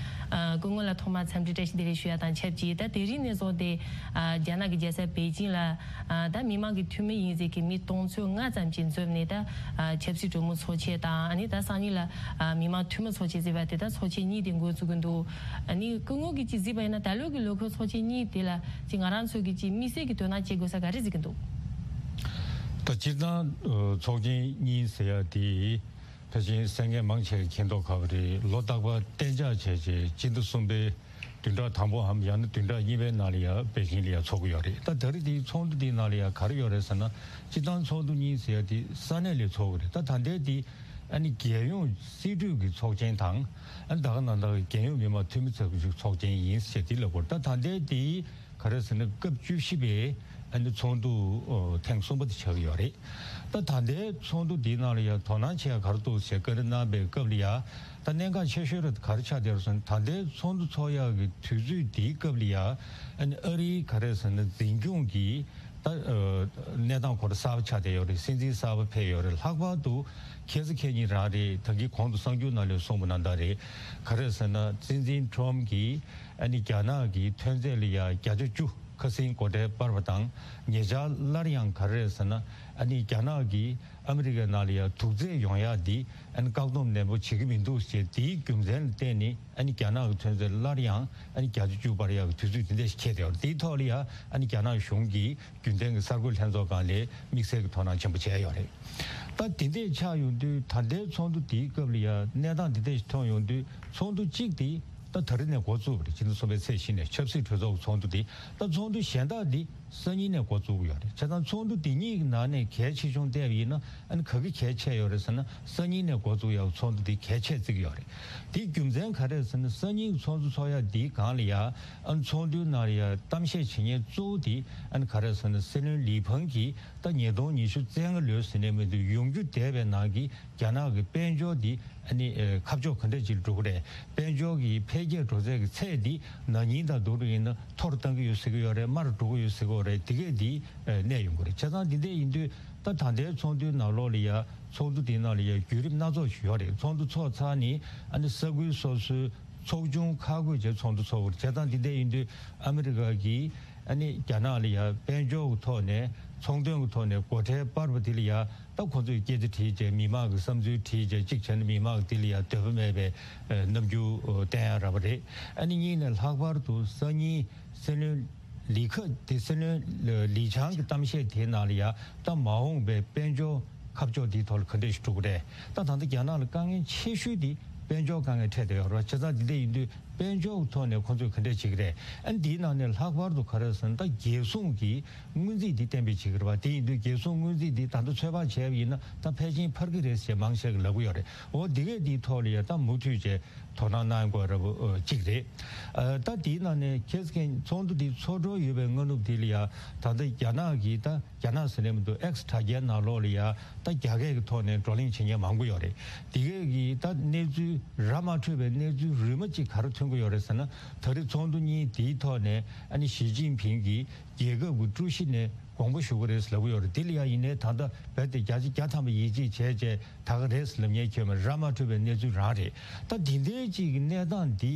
ཨ། སྐུ་ངོ་ལ་ཐོག་མར་འཚམས་འདྲི་བཀྲ་ཤིས་བདེ་ལེགས་ཞུ་ཡ་དང་ཆབས་ཅིག་ད་དེ་རིང་ནས་བཟུང་སྟེ། ཨ། རྒྱ་ནག་གི་རྒྱལ་ས་པེ་ཅིང་ལ། ཨ། ད་མི་མང་གི་འཐུས་མི་ཡིན་ཟེར་མཁན་མི་སྟོང་ཚོ་ལྔ་ཙམ་ཅིག་འཛོམས་ནས་ད། ཨ། ཆབ་སྲིད་གྲོས་མོལ་ཚོགས་ཆེན་དང་ཨ་ནི་ད་སང་ཉིན་ལ། ཨ། མི་མང་འཐུས་མི་ཚོགས་ཆེན་ཟེར་བ་དེ་ད་ཚོགས་ཆེན་གཉིས་དེ་འགོ་ཚུགས་ཀྱི་འདུག་ཨ་ནི་སྐུ་ངོ་གིས་ཅིག་གཟིགས་པ་ཡིན་ན་ད་ལོ་གི་ལོ་འཁོར་ཚོགས་ཆེན་གཉིས་དེ་ལ་ཅིག་ང་རང་ཚོ་གིས་ཅིག་དམིགས་བསལ་གྱི་དོ་སྣང་བྱེད་དགོས་ས་ག་རེ་གཟིགས་ཀྱི་འདུག་ད་སྤྱིར་བཏང་ཚོགས་ཆེན་གཉིས་ཟེར་ཡ་དེ། ཕལ་ཆེར་གསན་མཁན་མང་ཆེ་གིས་མཁྱེན་མདོག་ཁ་པོ་རེད། ལོ་རྟག་པར་གཏན་འཇགས་བྱས་བྱས་སྤྱི་ཟླ་གསུམ་པའི་བདུན་ཕྲག་དང་པོའམ་ཡང་ན་བདུན་ཕྲག་གཉིས་པའི་ནང་ལ་ཡང་པེ་ཅིང་ལ་ཡང་ཚོགས་ཀྱི་ཡོད་རེད། ད་ད་རེས་དེའི་ཚོགས་འདུ་དེའི་ནང་ལ་ཡང་ག་རེ་ཡོད་རེད་ཟེར་ན། སྤྱིར་བཏང་ཚོགས་འདུ་གཉིས་ཟེར་ཡ་དེ་ས་གནས་ལ་ཚོགས་ཀྱི་རེད། ད་ད་ལྟའི་དེ་ཨ་ནི་རྒྱལ་ཡོངས་སྲིད་གྲོས་ཀྱི་ཚོགས་ཆེན་དང་། ཨ་ནི་ད་ག་ནང་བཞིན་རྒྱལ་ཡོངས་མི་དམངས་འཐུས་མི་ཚོགས་ཀྱི་ཚོགས་ཆེན་ཡིན་ཟེར་དེ་ལབ་དགོས་རེད། ད་ད་ལྟའི་དེ་ག་རེ་ཟེར་ན་སྐབས་བཅུ་བཞི་པའི་ཨ་ནི་ཚོགས་འདུ་ཨོ་ཐེངས་གསུམ་པ་དེ་ཆགས་ཀྱི་ཡོད་རེད། ད་ད་ལྟའི་ཚོགས་འདུ་འདིའི་ནང་ལ་ཡང་དོ་སྣང་བྱེད་ཡ་ག་རེ་འདུག་ཟེར་བཀའ་འདྲི་གནང་བའི་སྐབས་ལ་ཡང་ད་གནད་འགག་ཆེ་ཤོས་རེ་ག་རེ་ཆགས་བསྡད་རེད་ཟེར་ན། ད་ལྟའི་ཚོགས་འདུ་ཚོགས་ཡག་གི་དུས་ཚོད་འདིའི་སྐབས་ལ་ཡང་ཨ་ནི་ཨ་རིའི་ག་རེ་ཟེར་ན་འཛིན་སྐྱོང་གི་ད་ཨ་གནས་སྟངས་ཁོ་རང་གསར་པ་ཆགས་བསྡད་ཡོད་རེད། སྲིད་འཛིན་གསར་པ་ཕེབས་ཡོད་རེད། ལྷག་པར་དུ་ཁྱེད་ཚོ་ཁྱེད་ཉིད་རང་རེད། ད་གིན་གོང་དུ་གསར་འགྱུར་ནང་ལ་གསུངས་པ་ནང་ལྟར་རེད། ག་རེ་ཟེར་ན་སྲིད་འཛིན་ཁྲོམ་གྱིས་ཨ་ནི་རྒྱ་ནག་གི་ཐོན་རྫས་ལ་ཡ་བརྒྱ་ཆ་བཅུ་ཁ་སང་སྒོ་ཁྲལ་སྤར་བ་དང་། ཉེ་ཆར་སླར་ཡང་ག་རེ་རེད་ཟེར་ན། ཨ་ནི་རྒྱ་ནག་གིས་ཨ་མི་རི་ཀའི་ནང་ལ་ཡ་དུག་རྫས་ཡོང་ཡག་འདི་ཨ་ནི་བཀག་སྡོམ་ནན་པོ་བྱེད་ཀྱི་མི་འདུག་ཅེས་དེའི་རྒྱུ་མཚན་ལ་བརྟེན་ནས་ཨ་ནི་རྒྱ་ནག་གི་ཐོན་རྫས་སླར་ཡང་ཨ་ནི་བརྒྱ་ཆ་བཅུ་སྤར་ཡག་གི་དུས་ཚོད་དེ་འདྲ་ཞིག་འཁེལ་བསྡད་ཡོད་རེད། དེའི་ཐོག་ལ་ཡ་ཨ་ནི་རྒྱ་ནག་གཞུང་གིས་རྒྱུན་ལྡན་གྱི་གསར་འགོད་ལྷན་ཚོགས་སྒང་ལ་དམིགས་བསལ་གྱི་དོ་སྣང་ཆེན་པོ་བྱས་ཡོད་རེད། ད་དེ་འདྲས་ཆགས་ཡོང་དུས་ད་ལྟའི་ཚོགས་འདུ་དེའི་སྐབས་ལ་ཡ་གནས་སྟངས་དེ་འདྲས་ཤིག་མཐོང་ཡོང་དུས་ཚོགས་འདུ་གཅིག་དེ་ད་ད་རེས་ནས་འགོ་བཙུགས་པ་རེད། སྤྱི་ཟླ་གསུམ་པའི་ཚེས་བཞི་ནས་ཆབ་སྲིད་གྲོས་ཚོགས་ཀྱི་ཚོགས་འདུ་དེ། ད་ཚོགས་འདུ་གཞན་དག་འདི་སང་ཉིན་ནས་འགོ་བཙུགས་ཀྱི་ཡོད་རེད། བྱས་ཙང་ཚོགས་འདུ་འདི་གཉིས་ཀྱི་ནང་ནས་གལ་ཆེ་ཆུང་བལྟས་པ་ཡིན་ན་ཨ་ནི་ག་གི་གལ་ཆེ་ཡོད་རེད་ཟེར་ན། སང་ཉིན་ནས་འགོ་བཙུགས་ཡག་ཚོགས་འདུ་འདི་གལ་ཆེ་བརྩི་གི་ཡོད་རེད། དེའི་རྒྱུ་མཚན་ག་རེ་རེད་ཟེར་ན། སང་ཉིན་གྱི་ཚོགས་འདུ་ཚོགས་ཡག་འདིའི་སྒང་ལ་ཡ་ཨ་ནི་ཚོགས་འདུའི་ནང་ལ་ཡ་གཏམ་བཤད་བྱེད་མཁན་གཙོ་བོ་དེ་ཨ་ནི་ག་རེ་རེད་ཟེར་ན། སྲིད་བློན་ལི་ཕང་གིས་ད་ཉིས་སྟོང་ཉི་ཤུ་རྩ་ལྔ་ལོའི་ཟེར་ནས་མི་འདུག་ཡོང་རྒྱུ་བསྡད་པའི་ནང་གི་རྒྱ་ནག་གི་དཔལ་འབྱོར་འདི་ཨ་ནི་ཨ་ཁ་ཕྱོགས་ག་འདྲ་ཅིག་འགྲོ་གི་རེད། དཔལ་འབྱོར་གྱི་འཕེལ་རྒྱས་འགྲོ་ཚད་ཀྱི་ཚད་འདི་ན་ནིང་དང་བསྡུར་བ་ཡིན་ན་མཐོ་རུ་བཏང་གི་ཡོད་ཟེར་གི་ཡོད་རེད། དམའ་རུ་འགྲོ་གི་ཡོད་ཟེར་གི་ཡོད་རེད། དེ་གས་འདི་ཨ་གནས་ཡོང་གི་རེད། བྱས་ཙང་འདི་འདྲས་ཡིན་དུས་ད་ད་ལྟའི་ཚོགས་འདུའི་ནང་ལོགས་ལ་ཡ་ཚོགས་འདུ་འདིའི་ནང་ལ་ཡ་བརྒྱུད་རིམ་སྣ་ཚོགས་ཤིག་ཡོད་རེད། ཚོགས་འདུ་ཚོགས་ཚར་ནས་ཨ་ནི་ས་ཁུལ་སོ་སོའི་ཚོགས་ཆུང་ཁག་བགོས་བྱས་ཚོགས་འདུ་ཚོགས་པ་རེད། བྱས་ཙང་འདི་འདྲས་ཡིན་དུས་ཨ་མི་རི་ཀ་གིས་ཨ་ནི་རྒྱ་ནག་ལ་ཡ་དཔལ་འབྱོར་གྱི་ཐོག་ནས་ཚོང་དོན་གྱི་ཐོག་ནས་སྒོ་ཁྲལ་སྤར་བ་དེ་ལ་ཡ་ད་ཁོ་ཚོས་སྐད་ཆ་དྲིས་བྱས། མི་མང་གི་བསམ་ཚུལ་དྲིས་བྱས། གཅིག་བྱས་ན་མི་མང་གི་དེ་ལ་ཡ་འདོད་པ་མེད་པའི་ཨ་རྣམ་འགྱུར་ཨ་བསྟན་ཡ་རག་པ་རེད། ཨ་ནི་གཉིས་ནས་ལྷག་པར་དུ་སང་ཉིན་སྲིད་བློན་ལི་ཁ་དེ་སྲིད་བློན་ལི་ཆང་གི་གཏམ་བཤད་དེའི་ནང་ལ་ཡ་ད་མ་འོངས་པའི་དཔལ་འབྱོར་ཁ་ཕྱོགས་དེའི་ཐོག་ལ་ག་འདྲས་ཤིག་འགྲོ་གི་རེད། ད་ད་ལྟ་རྒྱ་ནག་ལ་དཀའ་ངལ་ཆེ་ཤོས་དེ་དཔལ་འབྱོར་དཀའ་ངལ་འཕྲད་བསྡད་ཡོད་རེད། བྱས་ཙང་འདི་འདྲས་ཡིན་དུས་དཔལ་འབྱོར་གྱི་ཐོག་ནས་ཁོ་ཚོས་ག་འདྲས་བྱེད་ཀྱི་རེད། ཨ་ནི་འདིའི་ནང་ནས་ལྷག་པར་དུ་ག་རེ་ཟེར་ན། ད་རྒྱལ་སྲུང་གི་སྔོན་རྩིས་འདི་གཏན་འབེབས་བྱེད་ཀྱི་རེད་པ། དེ་ཡིན་དུས་རྒྱལ་སྲུང་སྔོན་རྩིས་འདི་ད་ལྟ་ཚོད་དཔག་བྱས་པ་ཡིན་ན་ད་ཕལ་ཆེར་འཕར་གྱི་རེད་ཟེར་མང་ཆེ་གིས་ལབ་ཀྱི་ཡོད་རེད། འོ་འདི་གས་འདིའི་ཐོག་ལ་ཡ་ད་མུ་མཐུད་བྱས་དོ་སྣང་གནང་དགོས་རབས་ཨ་གཅིག་རེད། ཨ་ད་དེའི་ནང་ནས་ཁྱེད་ཚོ་ཚོགས་འདུ་འདི་ཚོགས་འགྲོ་ཡོད་པའི་སྔ་ནུབ་འདི་ལ་ཡ་ད་ལྟ་རྒྱ་ནག་གིས་ད་རྒྱ་ནག་ཟེར་ནས་མི་འདུག X་དྲ་རྒྱའི་ནང་ལོགས་ལ་ཡ་ད་རྒྱ་སྐད་ཀྱི་ཐོག་ནས་བགྲོ་གླེང་བྱེད་མཁན་མང་པོ་ཡོད་རེད། དེ་གས་ཀྱིས་ད་གནས་ཚུལ་ར་མ་འཕྲོད་པའི་གནས་ཚུལ་རིས་མ་གཅིག་ག་རེ་ཐོན་གྱི་ཡོད་རེད་ཟེར་ན། ད་རེས་ཚོགས་འདུ་གཉིས་དེའི་ཐོག་ནས་ཨ་ནི་ཞི་ཅིན་ཕིང་གིས་རྒྱལ་ཁབ་ཀྱི་ཀྲུའུ་ཞི་ནས་དགོངས་པ་ཞུ་གི་རེད་ལབ་ཀྱི་ཡོད་རེད། དེ་ལ་ཡ་ཡིན་ནའི་ད་ལྟ་རྦད་དེ་བརྒྱ་ཆ་བརྒྱ་ཐམ་པ་ཡིད་ཆེས་བྱས་བྱས་ད་ག་རེད་ལབ་མཁན་ཁྱོན་མེད། ར་མ་འཕྲོད་པའི་གནས་ཚུལ་རང་རེད། ད་འདི་འདྲའི་གཅིག་གི་གནས་སྟངས་འདི་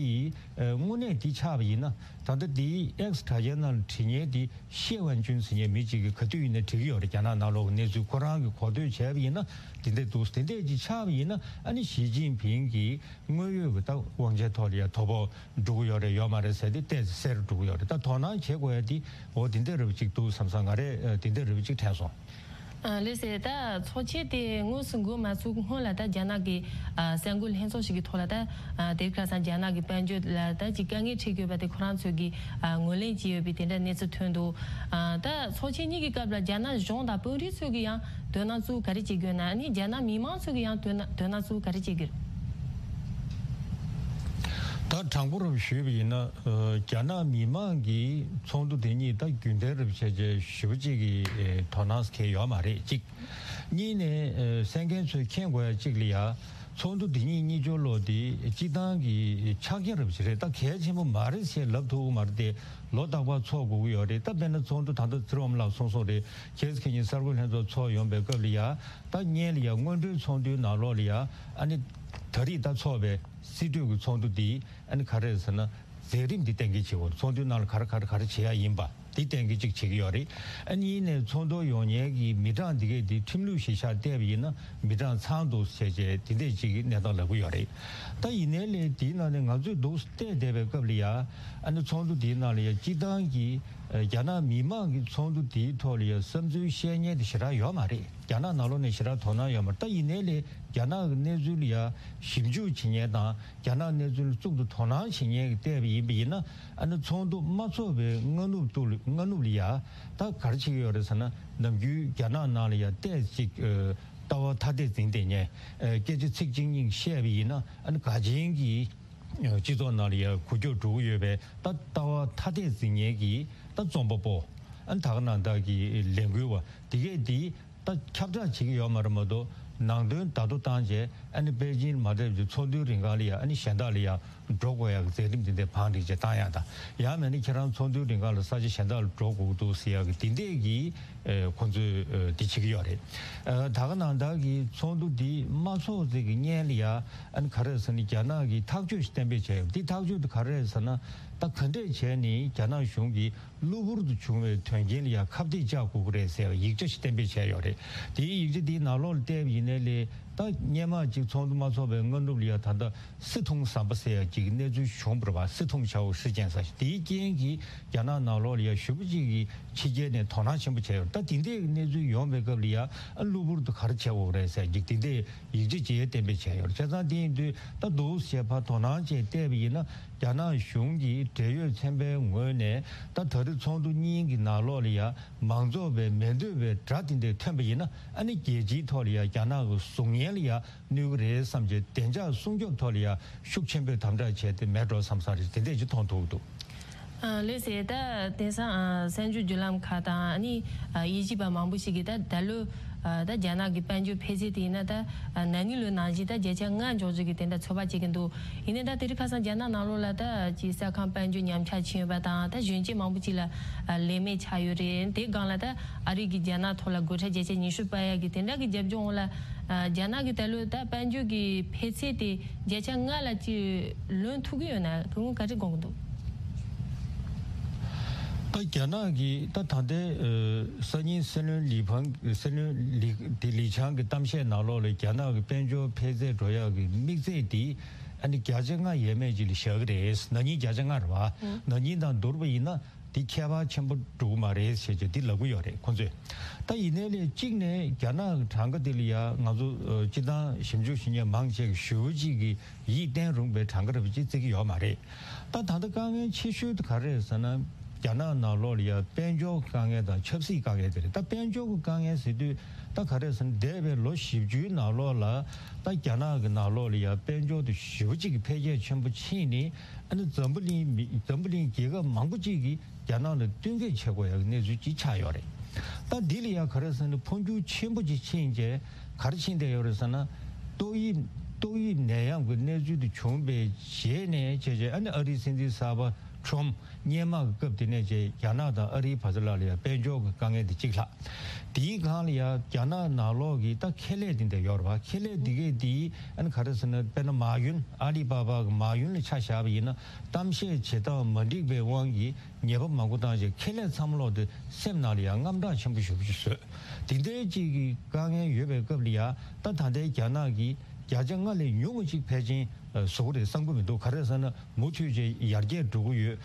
ཨ་དངོས་གནས་འདི་ཆགས་པ་ཡིན་ན། ད་ལྟ་འདི་X་དྲ་རྒྱའི་ནང་ལ་བྲིས་མཁན་འདི་ཤེ་ཝན་ཅུན་ཟེར་མཁན་མི་གཅིག་གིས་ག་དུས་ཡིན་ན་བྲིས་ཀྱི་ཡོད་རེད། རྒྱ་ནག་ནང་ལོགས་ཀྱི་གནས་ཚུལ་ཁོ་རང་གིས་གོ་ཐོས་བྱས་པ་ཡིན་ན་འདི་འདྲ་འདུག་དེ་འདྲས་ཅིག་ཆགས་པ་ཡིན་ན་ཨ་ནི་ཞི་ཅིན་ཕིང་གིས་དངོས་ཡོད་ཀྱི་ད་དབང་ཆའི་ཐོག་ལ་ཡ་དོ་ཕོག་འགྲོ་གི་ཡོད་རེད་ཡོད་མ་རེད་ཟེར་དེ་ཏོག་ཙམ་གསལ་རུ་འགྲོ་གི་ཡོད་རེད། ད་དོ་སྣང་བྱེད་དགོས་ཡ་དེ་འོ་དེ་འདྲ་རེད་པ་ཅིག་འདུག་བསམ་བསམ། ང་རས་ཨ་དེ་འདྲ་རེད་པ་ཅིག་དྲན་སོང་། ཨ། ལགས་སོ། ད་ཚོགས་ཆེན་དེ་དངོས་སུ་འགོ་མ་ཚུགས་སྔོན་ལ་ད་རྒྱ་ནག་གི་ཨ་གསར་འགོད་ལྷན་ཚོགས་ཤིག་གི་ཐོག་ལ་ད་ཨ་དེ་རིང་ཁ་སང་རྒྱ་ནག་གི་དཔལ་འབྱོར་ལ་ད་ཅིག་དཀའ་ངལ་འཕྲད་དགོས་པ་དེ་ཁོ་རང་ཚོས་ཀྱི་ཨ་ངོས་ལེན་བྱས་ཡོད་པའི་དེ་འདྲ་གནས་ཚུལ་ཐོན་འདུག་ཨ་ད་ཚོགས་ཆེན་གཉིས་ཀྱི་སྐབས་ལ་རྒྱ་ནག་གཞུང་དང་དཔོན་རིགས་ཚོས་ཀྱི་ཡང་དོ་སྣང་ཚུལ་ག་རེ་བྱེད་དགོས་ན། ཨ་ནི་རྒྱ་ནག་མི་མང་ཚོས་ཀྱི་ཡང་དོ་སྣང་དོ་སྣང་ཚུལ་ག་རེ་བྱེད་དགོས། ད་དྲང་པོ་རུ་ཞུས་པ་ཡིན་ན། ཨ་རྒྱ་ནག་མི་མང་གིས་ཚོགས་འདུ་དེ་གཉིས་ད་རྒྱུན་ལྡན་རུ་བྱས་རྗེས་ཞེ་པོ་ཅིག་གི་ཨེ་དོ་སྣང་གལ་ཡོད་མ་རེད། གཅིག་གཉིས་ནས་ཨེ་གསན་མཁན་ཚོས་མཁྱེན་དགོས་ཡ་གཅིག་ལ་ཡ། ཚོགས་འདུ་འདི་ཉིད་གཉིས་སྦྱོར་ལོ་འདི་སྤྱི་བཏང་གི་ཆ་རྐྱེན་རབ་ཅིག་རེད། ད་གལ་ཆེན་པོ་མ་རེད་ཞེས་ལབ་ཐུབ་ཀྱི་མ་རེད་དེ། ལོ་རྟག་པར་ཚོགས་དགོས་ཀྱི་ཡོད་རེད། ད་དཔེར་ན་ཚོགས་འདུ་ད་ལྟ་ཚེ་རིང་དབང་མོ་ལགས་གསུངས་སོང་རེད། ཁྱེད་ཚོ་ཁྱེད་ཉིད་གསར་འགོད་ལྷན་ཚོགས་ཚོགས་ཡོང་པའི་སྐབས་ལ་ཡ། ད་སྔོན་ལ་ཡ་སྔོན་འགྲོའི་ཚོགས་འདུའི་ནང་ལོགས་ལ་ཡ། ཨ་ནི་ད་རེས་ད་ཚོགས་པའི་སྲིད་གྲོས་ཀྱི་ཚོགས་འདུ་འདི་ཨ་ནི་ག་རེ་རེད་ཟེར་ན། མཛད་རིམ་འདི་གཏན་འཁེལ་བྱེད་དགོས། ཚོགས་འདུའི་ནང་ལ་ག་རེ་ག་རེ་ག་རེ་བྱེད་ཡ་ཡིན་པ། འདི་གཏན་འཁེལ་ཅིག་བྱེད་ཀྱི་ཡོད་རེད། ཨ་ནི་ཡིན་ནའི་ཚོགས་འདུར་ཡོང་མཁན་གྱི་མི་གྲངས་འདི་གས་འདི་ཁྲིམས་ལུགས་གཞིར་བཞག་བལྟས་པ་ཡིན་ན་མི་གྲངས་ཚང་འདུག་བྱས་བྱས་འདི་འདྲས་ཅིག་གི་གནས་སྟངས་ལབ་ཀྱི་ཡོད་རེད། ད་ཡིན་ནའི་ལས་འདིའི་ནང་ནས་ང་ཚོས་འདུག་བལྟས་བསྡད་པའི་སྐབས་ལ་ཡ། ཨ་ནི་ཚོགས་འདུ་འདིའི་ནང་ལ་ཡ་སྤྱི་བཏང་གི་ཨ་རྒྱ་ནག་མི་མང་གི་ཚོགས་འདུ་འདིའི་ཐོག་ལ་ཡ་བསམ་ཚུལ་བཤད་མཁན་དེ་ཞེ་དྲག་ཡོད་མ་རེད། རྒྱ་ནག་ནང་ལོགས་ནས་ཞེ་དྲག་དོ་སྣང་ཡོད་མ་རེད། ད་ཡིན་ནའི་ལས་རྒྱ་ནག་གི་གནས་ཚུལ་ལ་ཡ་ཞིབ་འཇུག་བྱེད་མཁན་དང་། རྒྱ་ནག་གནས་ཚུལ་ལ་གཙུག་ཏུ་དོ་སྣང་བྱེད་མཁན་གྱིས་བལྟས་པ་ཡིན་པ་ཡིན་ན། ཨ་ནི་ཚོགས་འདུ་མ་ཚོགས་པའི་སྔ་ནུབ་ཏུ་སྔ་ནུབ་ལ་ཡ། ད་ག་རེ་བྱེད་ཀྱི་ཡོད་རེད་ཟེར་ན། ནམ་རྒྱུན་རྒྱ་ནག་ནང་ལ་ཡ་ཏོག་ཙམ་ཅིག་ཨ་ལྟ་བ་ཐ་དད་འཛིན་བསྡད་མཁན། ཨ་སྐད་ཆ་ཚིག་གཅིག་གཉིས་བཤད་པ་ཡིན་ན། ཨ་ནི་དགའ་ཆེན་གྱི་ཨ་སྤྱི་ཚོགས་ནང་ལ་ཡ་འགུལ་སྐྱོད་འགྲོ་གི་ཡོད་པའི་ད་ལྟ་བ་ཐ་དད་འཛིན་མཁན་གྱི་ད་རྩོམ་པ་པོ། ཨ་ནི་ད་ག་ནང་བཞིན་གྱི་ལས་འགུལ་བ་དེ་གས་དེ། ད་ཁྱབ་བསྒྲགས་བྱེད་ཀྱི་ཡོད་མ་རེད་མ་གཏོགས། ནང་དོན་བརྡ་ཐོ་བཏང་རྗེས་ཨ་ནི་པེ་ཅིན་མ་སླེབས་ཀྱི་ཚོགས་འདུའི་རིང་ག་ལ་ཡ་ཨ་ནི་གཞན་དག་ལ་ཡ་འགྲོ་དགོས་ཡག་གི་མཛད་རིམ་དེ་འདྲ་བང་སྒྲིག་བྱས་བཏང་ཡག་དང་། ཡང་མིན་ན་ཁྱེད་རང་ཚོགས་འདུའི་རིང་ག་ལ་ས་ཆ་གཞན་དག་ལ་འགྲོ་དགོས་ཀྱི་འདུག་ཟེར་ཡག་གི་དེ་འདྲས་ཀྱི་ཨེ་ཁོང་ཚོས་ཨེ་འདི་བྱེད་ཀྱི་ཡོད་རེད། ཨེ་ད་ག་ནང་བཞིན་གྱི་ཚོགས་འདུ་འདི་མ་ཚོགས་ཚེ་གི་སྔོན་ལ་ཡ་ཨ་ནི་ག་རེ་ཟེར་ན། རྒྱ་ནག་གིས་ཐག་གཅོད་ཞིག་གཏན་འབེབས་བྱས་ཡོད། འདི་ཐག་གཅོད་དེ་ག་རེ་ཟེར་ན། ད་ག་འདྲས་བྱས་ནས་རྒྱ་ནག་གཞུང་གིས། གློ་བུར་དུ་བྱུང་བའི་དོན་རྐྱེན་ལ་ཡང་ཁ་གཏད་གཅོག་དགོས་ཀྱི་རེད་ཟེར་བའི་ཡིག་ཆ་ཞིག་གཏན་འབེབས་བྱས་ཡོད་རེད། དེའི་ཡིག་ཆ་དེའི་ནང་ལོགས་ལ་བལྟས་པ་ཡིན་ནའི་ལས། ད་སྔོན་མ་ཅིག་ཚོགས་འདུ་མ་ཚོགས་པའི་སྔ་ནུབ་ལ་ཡང་ད་ལྟ་སི་ཐུང་ཟམ་པ་ཟེར་ཡ་ཅིག་གི་གནས་ཚུལ་བྱུང་བ་རེད་པ། སི་ཐུང་ཆའོ་ཧྲི་ཅན་ཟེར་ཞིག་དེའི་རྐྱེན་གྱིས་རྒྱ་ནག་ནང་ལོགས་ལ་ཡང་ཞེ་པོ་ཅིག་གིས་ཕྱི་རྒྱལ་ནས་དོ་སྣང་ཆེན་པོ་བྱས་ཡོད་རེད། ད་དེ་འདྲའི་གནས་ཚུལ་ཡོང་བའི་སྐབས་ལ་ཡང་གློ་བུར་དུ་ག་རེ་བྱེད་དགོས་རེད་ཟེར་ཅིག་དེ་འདྲའི་ཡིག་ཆ་ཅིག་གཏན་འབེབས་བྱས་ཡོད་རེད། བྱས་ཙང་དེ་ཡིན་དུས་ད་འདུག་ཟེར་ཕར་དོ་སྣང་བྱས་བལྟས་པ་ཡིན་ན། རྒྱ་ནག་གཞུང་གིས་འབྲེལ་ཡོད་ཚན་པའི་ངོས་ནས་ད་ད་རེས་ཚོགས་འདུ་གཉིས་ཀྱི་ནང་ལོགས་ལ་ཡ་མང་ཚོགས་པའི་མི་འདོད་པའི་སྒྲ་དེ་འདྲ་ཐོན་པ་ཡིན་ན། ཨ་ནི་རྒྱལ་སྤྱིའི་ཐོག་ལ་ཡ་རྒྱ་ནག་གི་གཟུགས་བརྙན་ལ་ཡ་གནོད་ཀྱི་རེད་བསམ་བྱས་བདེ་འཇགས་སྲུང་སྐྱོབ་ཐོག་ལ་ཡ་ཤུགས་ཆེན་པོས་དམ་དྲག་བྱས་ཏེ་མེད་འགྲོ་བསམ་ས་རེད། དེ་འདྲས་ཅིག་མཐོང་ཐུབ་འདུག་ཨ་ལགས་སེ། ད་དེང་སང་ཨ་གསར་འགྱུར་བརྒྱུད་ལམ་ཁག་དང་ཨ་ནི་ཨ་དབྱེ་ཞིབ་པ་མང་པོ་ཞིག་གིས་ད་ད་ལོ་ཨ་ད་རྒྱ་ནག་གི་དཔལ་འབྱོར་འཕེལ་ཚད་དེ་ཡིན་ན་ད་ཨ་ན་ནིང་ལོའི་ནང་བཞིན་ད་བརྒྱ་ཆ་ལྔ་འཇོག་རྒྱུ་གི་དེ་འདྲ་ཚོད་དཔག་བྱེད་ཀྱི་འདུག་ཡིན་ནའི་ད་དེ་རིང་ཁ་སང་རྒྱ་ནག་ནང་ལོགས་ལ་ད་ཅིག་ས་ཁང་དཔལ་འབྱོར་ཉམས་ཆག་ཕྱིན་ཡོད་པ་དང་། ད་གཞོན་སྐྱེས་མང་པོ་ཅིག་ལ་ཨ་ལས་མེད་ཆགས་ཡོད་རེད། དེ་སྒང་ལ་ད་ཨ་རི་གིས་རྒྱ་ནག་ཐོག་ལ་སྒོ་ཁྲལ་བརྒྱ་ཆ་ཉི་ཤུ་སྤར་ཡག་གི་དེ་འདྲ་གི་རྒྱབ་ལྗོངས་འོག་ལ་ཨ་རྒྱ་ནག་གི་ད་ལོའི་ད་དཔལ་འབྱོར་གྱི་འཕེལ་ཚད་དེ་བརྒྱ་ཆ་ལྔ་ལ་ཅིག་ལོན་ཐུབ་ཀྱི་ཡོད་ན། ཁོང་གིས་ག་རེ་དགོངས་ཀྱི་འདུག་ད་རྒྱ་ནག་གིས་ད་ད་ལྟའི་ཨ་སང་ཉིན་སྲིད་བློན་ལི་ཕང་སྲིད་བློན་ལི་དེ་ལི་ཆང་གི་གཏམ་བཤད་ནང་ལོགས་ལ་རྒྱ་ནག་གི་དཔལ་འབྱོར་འཕེལ་ཚད་འགྲོ་ཡག་གི་དམིགས་ཚད་དེ་ཨ་ནི་བརྒྱ་ཆ་ལྔ་ཡས་མས་ཅིག་ལ་བཞག་གི་རེད། ན་ནིང་བརྒྱ་ཆ་ལྔ་རེད་པ། ན་ནིང་དང་བསྡུར་བ་ཡིན་ན་དེ་ཁྱད་པར་ཆེན་པོ་འགྲོ་གི་མ་རེད་ཟེར་བྱས་དེ་ལབ་ཀྱི་ཡོད་རེད་ཁོང་ཚོས། ད་ཡིན་ནའི་ལས་གཅིག་ནས་རྒྱ་ནག་གི་གྲངས་ཀ་དེ་ལ་ཡ་ང་ཚོ་ཨ་སྤྱིར་བཏང་ཞིབ་འཇུག་ཞུ་མཁན་མང་ཆེ་གིས་ཞེ་པོ་ཅིག་གི་ཡིད་བརྟན་རུང་བའི་གྲངས་ཀ་རེད་པ་ཅིག་བརྩི་གི་ཡོད་མ་རེད། ད་ད་ལྟ་དཀའ་ངལ་ཆེ་ཤོས་དེ་ག་རེ་རེད་ཟེར་ན། རྒྱ་ནག་ནང་ལོགས་ལ་ཡ་དཔལ་འབྱོར་གྱི་དཀའ་ངལ་དང་ཆབ་སྲིད་དཀའ་ངལ་དེ་རེད། ད་དཔལ་འབྱོར་གྱི་དཀའ་ངལ་ཟེར་དུས་ད་ག་རེ་ཟེར་ན། འདས་པའི་ལོ་བཞི་བཅུའི་ནང་ལོགས་ལ་ད་རྒྱ་ནག་གི་ནང་ལོགས་ལ་ཡ་དཔལ་འབྱོར་དེ་ཞེ་པོ་ཅིག་གི་འཕེལ་རྒྱས་ཆེན་པོ་ཕྱིན་ནས། ཨ་ནི་འཛམ་བུ་གླིང་མི་འཛམ་བུ་གླིང་རྒྱལ་ཁབ་མང་པོ་ཅིག་གིས་རྒྱ་ནག་ལ་བསྟུན་མཁས་བྱེད་དགོས་ཡག་གི་གནས་ཚུལ་ཅིག་ཆགས་ཡོད་རེད། ད་འདི་ལ་ཡ་ག་རེ་ཟེར་ན། འཕོ་འགྱུར་ཆེན་པོ་ཅིག་ཕྱིན་རྗེས་ག་རེ་ཕྱིན་བསྡད་ཡོད་རེད་ཟེར་ན། ཏོག་དབྱིབས་ཏོག་དབྱིབས་ནད་ཡམས་ཀྱི་གནས་ཚུལ་དེ་བྱུང་བའི་རྗེས་ནས་བྱས་རྗེས། ཨ་ནི་ཨ་རིའི་སྲིད་འཛིན་གསར་པ་ཁྲོམ་སྔོན་མ་གི་སྐབས་དེ་ནས་བྱས་རྒྱ་ནག་དང་ཨ་རིའི་བར་དུ་ལ་ལ་ཡ་དཔལ་འབྱོར་གྱི་དཀའ་ངལ་དེ་གཅིག་ལྷག་དེའི་སྒང་ལ་ཡ་རྒྱ་ནག་ནང་ལོགས་ཀྱི་ད་ཁེ་ལས་དེ་འདྲ་ཡོད་རེད་པ། ཁེ་ལས་དེ་གས་དེ་ཨ་ནི་ག་རེ་ཟེར་ན། དཔེར་ན་མ་ཡུན་ཨ་ལི་པ་པ་གི་མ་ཡུན་ལ་ཆ་བཞག་པ་ཡིན་ན། གཏམ་བཤད་བྱེད་སྟངས་མ་འགྲིག་པའི་དབང་གིས་ཉེས་པ་མང་པོ་བཏང་རྗེས་ཁེ་ལས་ཚང་མ་ལོག་དེ་སེམས་ནང་ལ་ཡ་དངངས་སྐྲག་ཆེན་པོ་ཞེ་པོ་ཅིག་བཟོས། དེ་འདྲའི་ཅིག་གི་དཀའ་ངལ་ཡོད་པའི་སྐབས་ལ་ཡ། ད་ད་ལྟའི་རྒྱ་ནག་གིས་བརྒྱ་ཆ་ལྔ་ལས་ཉུང་བ་ཅིག་ཕལ་ཆེར་ཨ་བཟོ་གི་རེད་བསམ་གི་མི་འདུག་ག་རེ་ཟེར་ན། མུ་མཐུད་བྱས་ཡར་རྒྱས་འགྲོ་གི་ཡོད།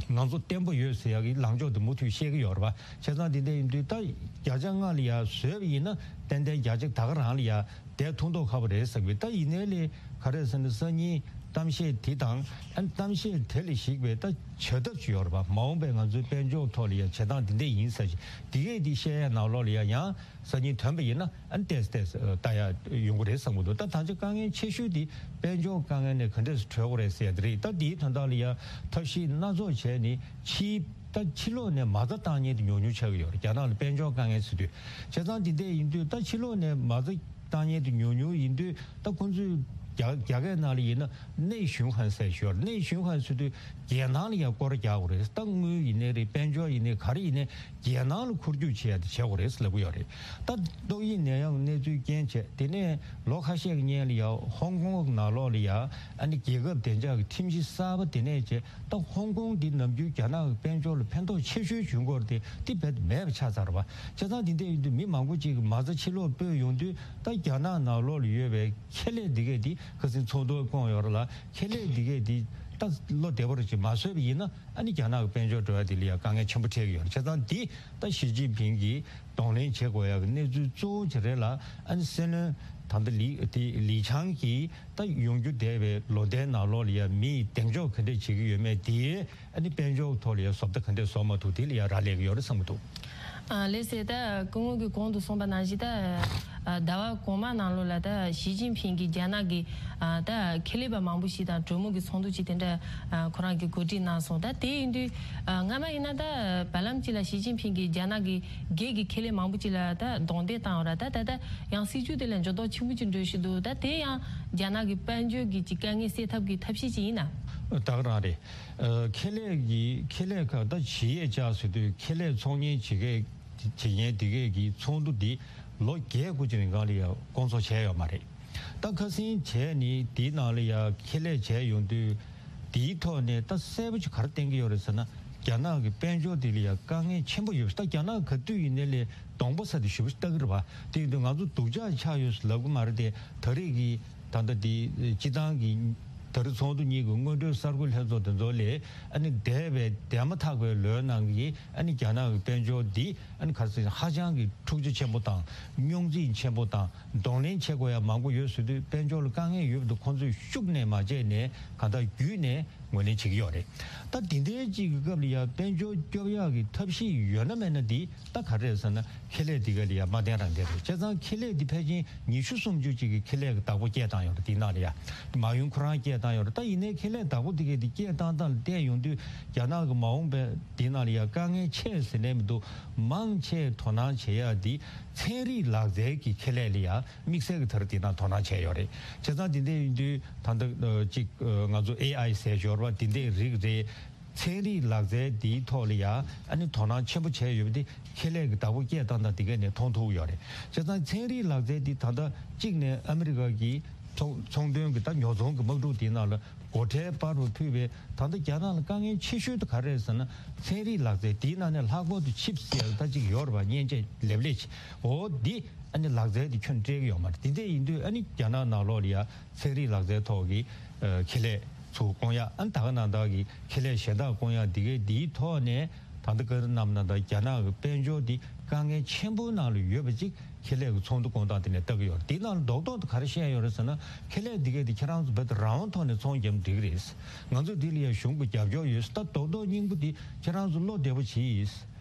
ང་ཚོ་བརྟན་པོ་ཡོད་ཟེར་ཡག་གི་ལངས་ཕྱོགས་དེ་མུ་མཐུད་བཤད་ཀྱི་ཡོད་རེད་པ། བྱས་ཙང་དེ་འདྲ་ཡིན་དུས་ད་བརྒྱ་ཆ་ལྔ་ལ་ཡ་བཟོས་པ་ཡིན་ན་ཏན་ཏན་བརྒྱ་ཆ་ད་ག་རང་ལ་ཡ་བསྡད་ཐུབ་མདོག་ཁ་པོ་རེད་བསམ་གི། ད་ཡིན་ནའི་ལས་ག་རེ་ཟེར་ན་སང་ཉིན་གཏམ་བཤད་དེ་དང་ཨ་ནི་གཏམ་བཤད་དེ་ལ་གཞིགས་པའི་ད་བྱ་ཐབས་ཅིག་ཡོད་རེད་པ། མ་འོངས་པའི་ང་ཚོའི་དཔལ་འབྱོར་ཐོག་ལ་ཡ་བྱེད་སྟངས་དེ་འདྲ་ཡིན་ཟེར་ཞིག་དེ་གས་དེ་བཤད་ཡ་ནང་ལོགས་ལ་ཡ་ཡང་སང་ཉིན་ཐོན་པ་ཡིན་ན་ཨ་ནི་ཏོག་ཙམ་ཏོག་ཙམ་ལྟ་ཡ་ཡོང་གི་རེད་བསམ་གི་འདུག། ད་ད་ཆ་དཀའ་ངལ་ཆེ་ཤོས་དེ་དཔལ་འབྱོར་དཀའ་ངལ་ནས་ག་འདྲས་སུ་གྲོལ་དགོས་རེད་ཟེར་ཡ་དེ་རེད། ད་དེའི་དོན་དག་ལ་ཡ་ཐབས་ཤེས་སྣ་ཚོགས་བྱས་ནས་ཕྱིའི་ད་ཕྱི་ལོགས་ནས་མ་རྩ་བཏང་མཁན་དེ་ཉུང་ཉུང་ཆགས་ཀྱི་ཡོད་རེད། རྒྱ་ནག་ལ་དཔལ་འབྱོར་དཀའ་ངལ་ཟེར་དུས། བྱས་ཙང་དེ་འདྲས་ཡིན་དུས་ད་ཕྱི་ལོགས་ནས་མ་རྩ་བཏང་མཁན་དེ་ཉུང་ཉུང་ཡིན་དུས་ད་ཁོང་ཚོས་རྒྱ་རྒྱ་སྐད་ནང་ལ་ཡིན་ན་内循环ཟེར་ཞོར་内循环ཟེར་དུས་རྒྱལ་ནང་ལ་ཡང་སྐོར་རྒྱག་དགོས་རེད། ད་དངུལ་ཡིན་ནའི་རེད། དཔལ་འབྱོར་ཡིན་ནའི་ག་རེ་ཡིན་ནའི་རྒྱལ་ནང་ལ་འཁོར་རྒྱུག་བྱེད་ཡ་དེ་བྱེད་དགོས་རེད་ལབ་ཀྱི་ཡོད་རེད། ད་ཏོག་དབྱིབས་ནད་ཡམས་གནས་ཚུལ་རྐྱེན་བྱས་དེ་ནས་ལོ་ཁ་ཤས་ཀྱི་སྔོན་ལ་ཡང་ཧོང་ཀོང་ནང་ལོགས་ལ་ཡང་ཨ་ནི་རྒྱལ་ཁབ་བདེ་འཇགས་ཀྱི་ཁྲིམས་གཞི་གསར་པ་དེ་ནས་བྱས། ད་ཧོང་ཀོང་འདི་ནམ་རྒྱུན་རྒྱ་ནག་གི་དཔལ་འབྱོར་ལ་ཕན་ཐོགས་ཆེ་ཤོས་བྱུང་སྐོར་དེ་དེ་རྦད་དེ་མེད་པ་ཆགས་ཚར་བ། བྱས་ཙང་དེ་འདྲ་ཡིན་དུས་མི་མང་པོ་ཅིག་གིས་མ་རྩ་ཕྱི་ལོགས་སྤོས་ཡོང་དུས་ད་རྒྱ་ནག་ནང་ལོགས་ལ་ཡོད་པའི་ཁེ་ལས་འདི་གས་འདི་ཁ་སང་ཚོགས་འདུ་བསྐོངས་ཡོད་རེད་ལ། ཁེ་ལས་འདི་གས་འདི་ད་བློ་བདེ་པོ་ཅིག་མ་བཟོས་པ་ཡིན་ན་ཨ་ནི་རྒྱ་ནག་གི་དཔལ་འབྱོར་འགྲོ་ཡ་འདི་ལ་ཡང་དཀའ་ངལ་ཆེན་པོ་འཕྲད་ཀྱི་ཡོད་རེད། བྱས་ཙང་འདི་ད་ཞི་ཅིན་ཕིང་གིས་གདོང་ལེན་བྱེད་དགོས་ཡ་གི་གནས་ཚུལ་གཙོ་བོ་ཅིག་རེད་ལ། ཨ་ནི་སྲིད་བློན་ད་ལྟ་ལི་དེ་ལི་ཆང་གིས་ད་ཡོང་རྒྱུ་བསྡད་པའི་ལོ་ཟླའི་ནང་ལོགས་ལ་ཡ་མིས་གདེང་འཇོག་ག་འདྲས་བྱེད་ཀྱི་ཡོད་མེད་དེ་ཨ་ནི་དཔལ་འབྱོར་ཐོག་ལ་ཡ་བཟོ་ལྟ་ག་འདྲས་བཟོ་མ་ཐུབ་དེ་ལ་ཡ་རག་ལས་ཀྱི་ཡོད་རེད་བསམ་གྱི་འདུག། ཨ་ལགས་སེ། ད་སྐུ་ངོ་གིས་གོང་དུ་གསུངས་པ་ནང་བཞིན་ད་ཨ་ཟླ་བ་གོང་མ་ནང་ལོགས་ལ་ད་ཞི་ཅིན་ཕིང་གིས་རྒྱ་ནག་གི་ཨ་ད་ཁེ་ལས་པ་མང་པོ་ཞིག་དང་གྲོས་མོལ་གྱི་ཚོགས་འདུ་ཅིག་དེ་འདྲ་ཨ་ཁོ་རང་གིས་གོ་སྒྲིག་གནང་སོང་། ད་དེ་ཡིན་དུས་ཨ་སྔ་མ་ཡིན་ན་ད་བར་ལམ་ཅིག་ལ་ཞི་ཅིན་ཕིང་གིས་རྒྱ་ནག་གི་སྒེར་གྱི་ཁེ་ལས་མང་པོ་ཅིག་ལ་ད་རྡུང་རྡེག་བཏང་ཡོད་ར། ད་ད་ད་ཡང་སྲིད་ཇུས་དེ་ལ་འགྱུར་ལྡོག་ཆེན་པོ་ཅིག་འགྲོ་བཞིན་འདུག། ད་དེ་ཡང་རྒྱ་ནག་གི་དཔལ་འབྱོར་གྱི་ཅིག་དཀའ་ངལ་སེལ་ཐབས་ཀྱི་ཐབས་ཤེས་ཅིག་ཡིན་ན། ད་ག་རང་རེད། ཨ་ཁེ་ལས་ཀྱི་ཁེ་ལས་ཁག་ད་ཇི་ཨེཆ་ཨར་ཟེར་དུས་ཁེ་ལས་ཚོང་གཉེར་བྱེད་མཁན་བྱེད་མཁན་དེ་གས་ཀྱི་ཚོགས་འདུ་འདི་ལོ་བརྒྱད་དགུ་ཅིག་རིང་གང་ལ་ཡང་བསྐོང་ཚོགས་བྱས་ཡོད་མ་རེད། ད་ཁ་སང་བྱས་ནི་དེའི་ནང་ལ་ཡང་ཁེ་ལས་བྱས་ཡོང་དུས་དེའི་ཐོག་ནས་ད་གསལ་པོ་ཅིག་ག་རེ་བསྟན་གྱི་ཡོད་རེད་ཟེར་ན། རྒྱ་ནག་གི་དཔལ་འབྱོར་དེ་ལ་ཡང་དཀའ་ངལ་ཆེན་པོ་ཡོད་པ། ད་རྒྱ་ནག་ག་དུས་ཡིན་ནའི་ལས་གདོང་པ་ས་དེ་ཞེ་པོ་ཅིག་ལྟ་གི་རེད་པ། དེ་ཡིན་དུས་ང་ཚོ་སྡུག་ཅག་ཆགས་ཡོད་ཟེར་ལབ་གི་མ་རེད་དེ། ད་རེས་ཀྱི་ད་ལྟ་དེ་སྤྱི་བཏང་གི་ད་རེས་ཚོགས་འདུ་གཉིས་ཀྱི་སྔོན་འགྲོའི་གསར་འགོད་ལྷན་ཚོགས་དེ་ཚོ་ལས་ཨ་ནི་འདས་པའི་འདས་མ་ཐག་པའི་ལོའི་ནང་གི་ཨ་ནི་རྒྱ་ནག་གི་དཔལ་འབྱོར་འདི་ཨ་ནི་ག་རེ་ཟེར་ཧ་ཅང་གི་འཁྲུག་ཆ་ཆེན་པོ་དང་རྙོག་འཛིང་ཆེན་པོ་དང་གདོང་ལེན་བྱེད་དགོས་ཡ་མང་པོ་ཡོད་ཟེར་དུས་དཔལ་འབྱོར་ལ་དཀའ་ངལ་ཡོད་པ་འདུག། ཁོང་ཚོས་ཤུགས་ནས་མ་བྱས་ནས་གང་ལྟར་བརྒྱུད་ནས་ངོས་ལེན་བྱེད་ཀྱི་ཡོད་རེད། ད་དེ་འདྲའི་གཅིག་གི་སྐབས་ལ་ཡ་དཔལ་འབྱོར་སྐྱོབ་ཡག་གི་ཐབས་ཤེས་ཡོད་ན་མེད་ན་འདི་ད་ག་རེ་རེད་ཟེར་ན་ཁེ་ལས་འདི་ག་ལ་ཡ་མ་བརྟེན་རང་བསྡད་རེད། བྱས་ཙང་ཁེ་ལས་འདི་ཕལ་ཆེར་ཉི་ཤུ་སུམ་ཅུ་ཅིག་གི་ཁེ་ལས་ཀྱི་བདག་པོ་སྐྱེལ་བཏང་ཡོད་རེད། དེའི་ནང་ལ་ཡ་མ་ཡུམ་ཁོ་རང་སྐྱེལ་བཏང་ཡོད་རེད། ད་ཡིན་ནའི་ཁེ་ལས་བདག་པོ་འདི་གས་འདི་སྐྱེལ་བཏང་སྟངས་ལ་བལྟས་ཡོང་དུས་རྒྱ་ནག་གི་མ་འོངས་པའི་འདི་ནང་ལ་ཡ་དཀའ་ངལ་ཆེ་ཟེར་ནས་མི་འདུག། མང་ཆེ་དོ་སྣང་བྱེད་ཡ་འདི་ཚན་རིག་ལག་རྩལ་གྱི་ཁེ་ལས་ལ་ཡ་དམིགས་བསལ་གྱི་ད་རེས་དེ་ནང་དོ་སྣང་བྱས་ཡོད་རེད། བྱས་ཙང་དེ་འདྲ་ཡིན་དུས་ད་ལྟ་ཨ་གཅིག་ཨ་ང་ཚོ་ཨེ་ཨའི་ཟེར་ཞོར་བ་དེ་འདྲའི་རིགས་རེད། ཚན་རིག་ལག་རྩལ་འདིའི་ཐོག་ལ་ཡ་ཨ་ནི་དོ་སྣང་ཆེན་པོ་བྱས་ཡོད་པ་དེ་ཁེ་ལས་ཀྱི་བདག་པོ་སྐྱེལ་སྟངས་དང་དེ་གས་ནས་མཐོང་ཐུབ་ཡོད་རེད། བྱས་ཙང་ཚན་རིག་ལག་རྩལ་འདི་ད་ལྟ་གཅིག་ནས་ཨ་མི་རི་ཀ་གི་ཚོང་ཚོང་དོན་གྱི་ད་ཉོ་ཚོང་གི་དམག་འཁྲུག་དེའི་ནང་ལ་སྒོ་ཁྲལ་སྤར་བ་ཕུད་པའི་ད་ལྟ་རྒྱ་ནག་ལ་དཀའ་ངལ་ཆེ་ཤོས་དེ་ག་རེ་རེད་ཟེར་ན་ཚན་རིག་ལག་རྩལ་དེའི་ནང་ནས་ལྷག་པར་དུ་ཆིབ་ཟེར་ད་ཅིག་ཡོད་རེད་པ། མཉེན་ཆས་ལེབ་ལེབ་ཅིག་འོ་འདི་ཨ་ནི་ལག་རྩལ་དེ་ཁྱོན་སྤྲད་ཀྱི་ཡོད་མ་རེད། དེ་འདྲ་ཡིན་དུས་ཨ་ནི་རྒྱ་ནག་ནང་ལོགས་ལ་ཡ་ཚན་རིག་ལག་རྩལ་ཐོག་གི་ཨ་ཁེ་ལས་ཚུར་བསྐོང་ཡ། ཨ་ནི་ད་ག་ནང་བཞིན་གྱི་ཁེ་ལས་གཞན་དག་བསྐོང་ཡ་འདི་གའི་འདིའི་ཐོག་ནས་ད་ལྟ་བཀའ་དྲིན་གནང་ན་ད་རྒྱ་ནག་གི་དཔལ་འབྱོར་འདི་དཀའ་ངལ་ཆེན་པོའི་ནང་ལ་ཡོད་པ་ཅིག་ཁེ་ལས་ཀྱི་ཚོགས་འདུ་བསྐོང་སྟངས་དེ་ནས་ལྟ་གི་ཡོད་རེད། དེའི་ནང་ལ་རྡོག་རྡོག་ཏུ་ག་རེ་བཤད་ཡོད་རེད་ཟེར་ན་ཁེ་ལས་འདི་གའི་འདི་ཁྱེད་རང་ཚོ་བོད་དུ་རང་དབང་ཐོག་ནས་ཚོང་བརྒྱབ་འགྲིག་གི་རེད། ང་ཚོས་འདི་ལ་ཡང་གཞུང་གི་རྒྱབ་སྐྱོར་ཡོད། ད་རྡོག་རྡོག་སྙིང་པོ་འདི་ཁྱེད་རང་ཚོ་བློ་བདེ་པོ་བྱེད།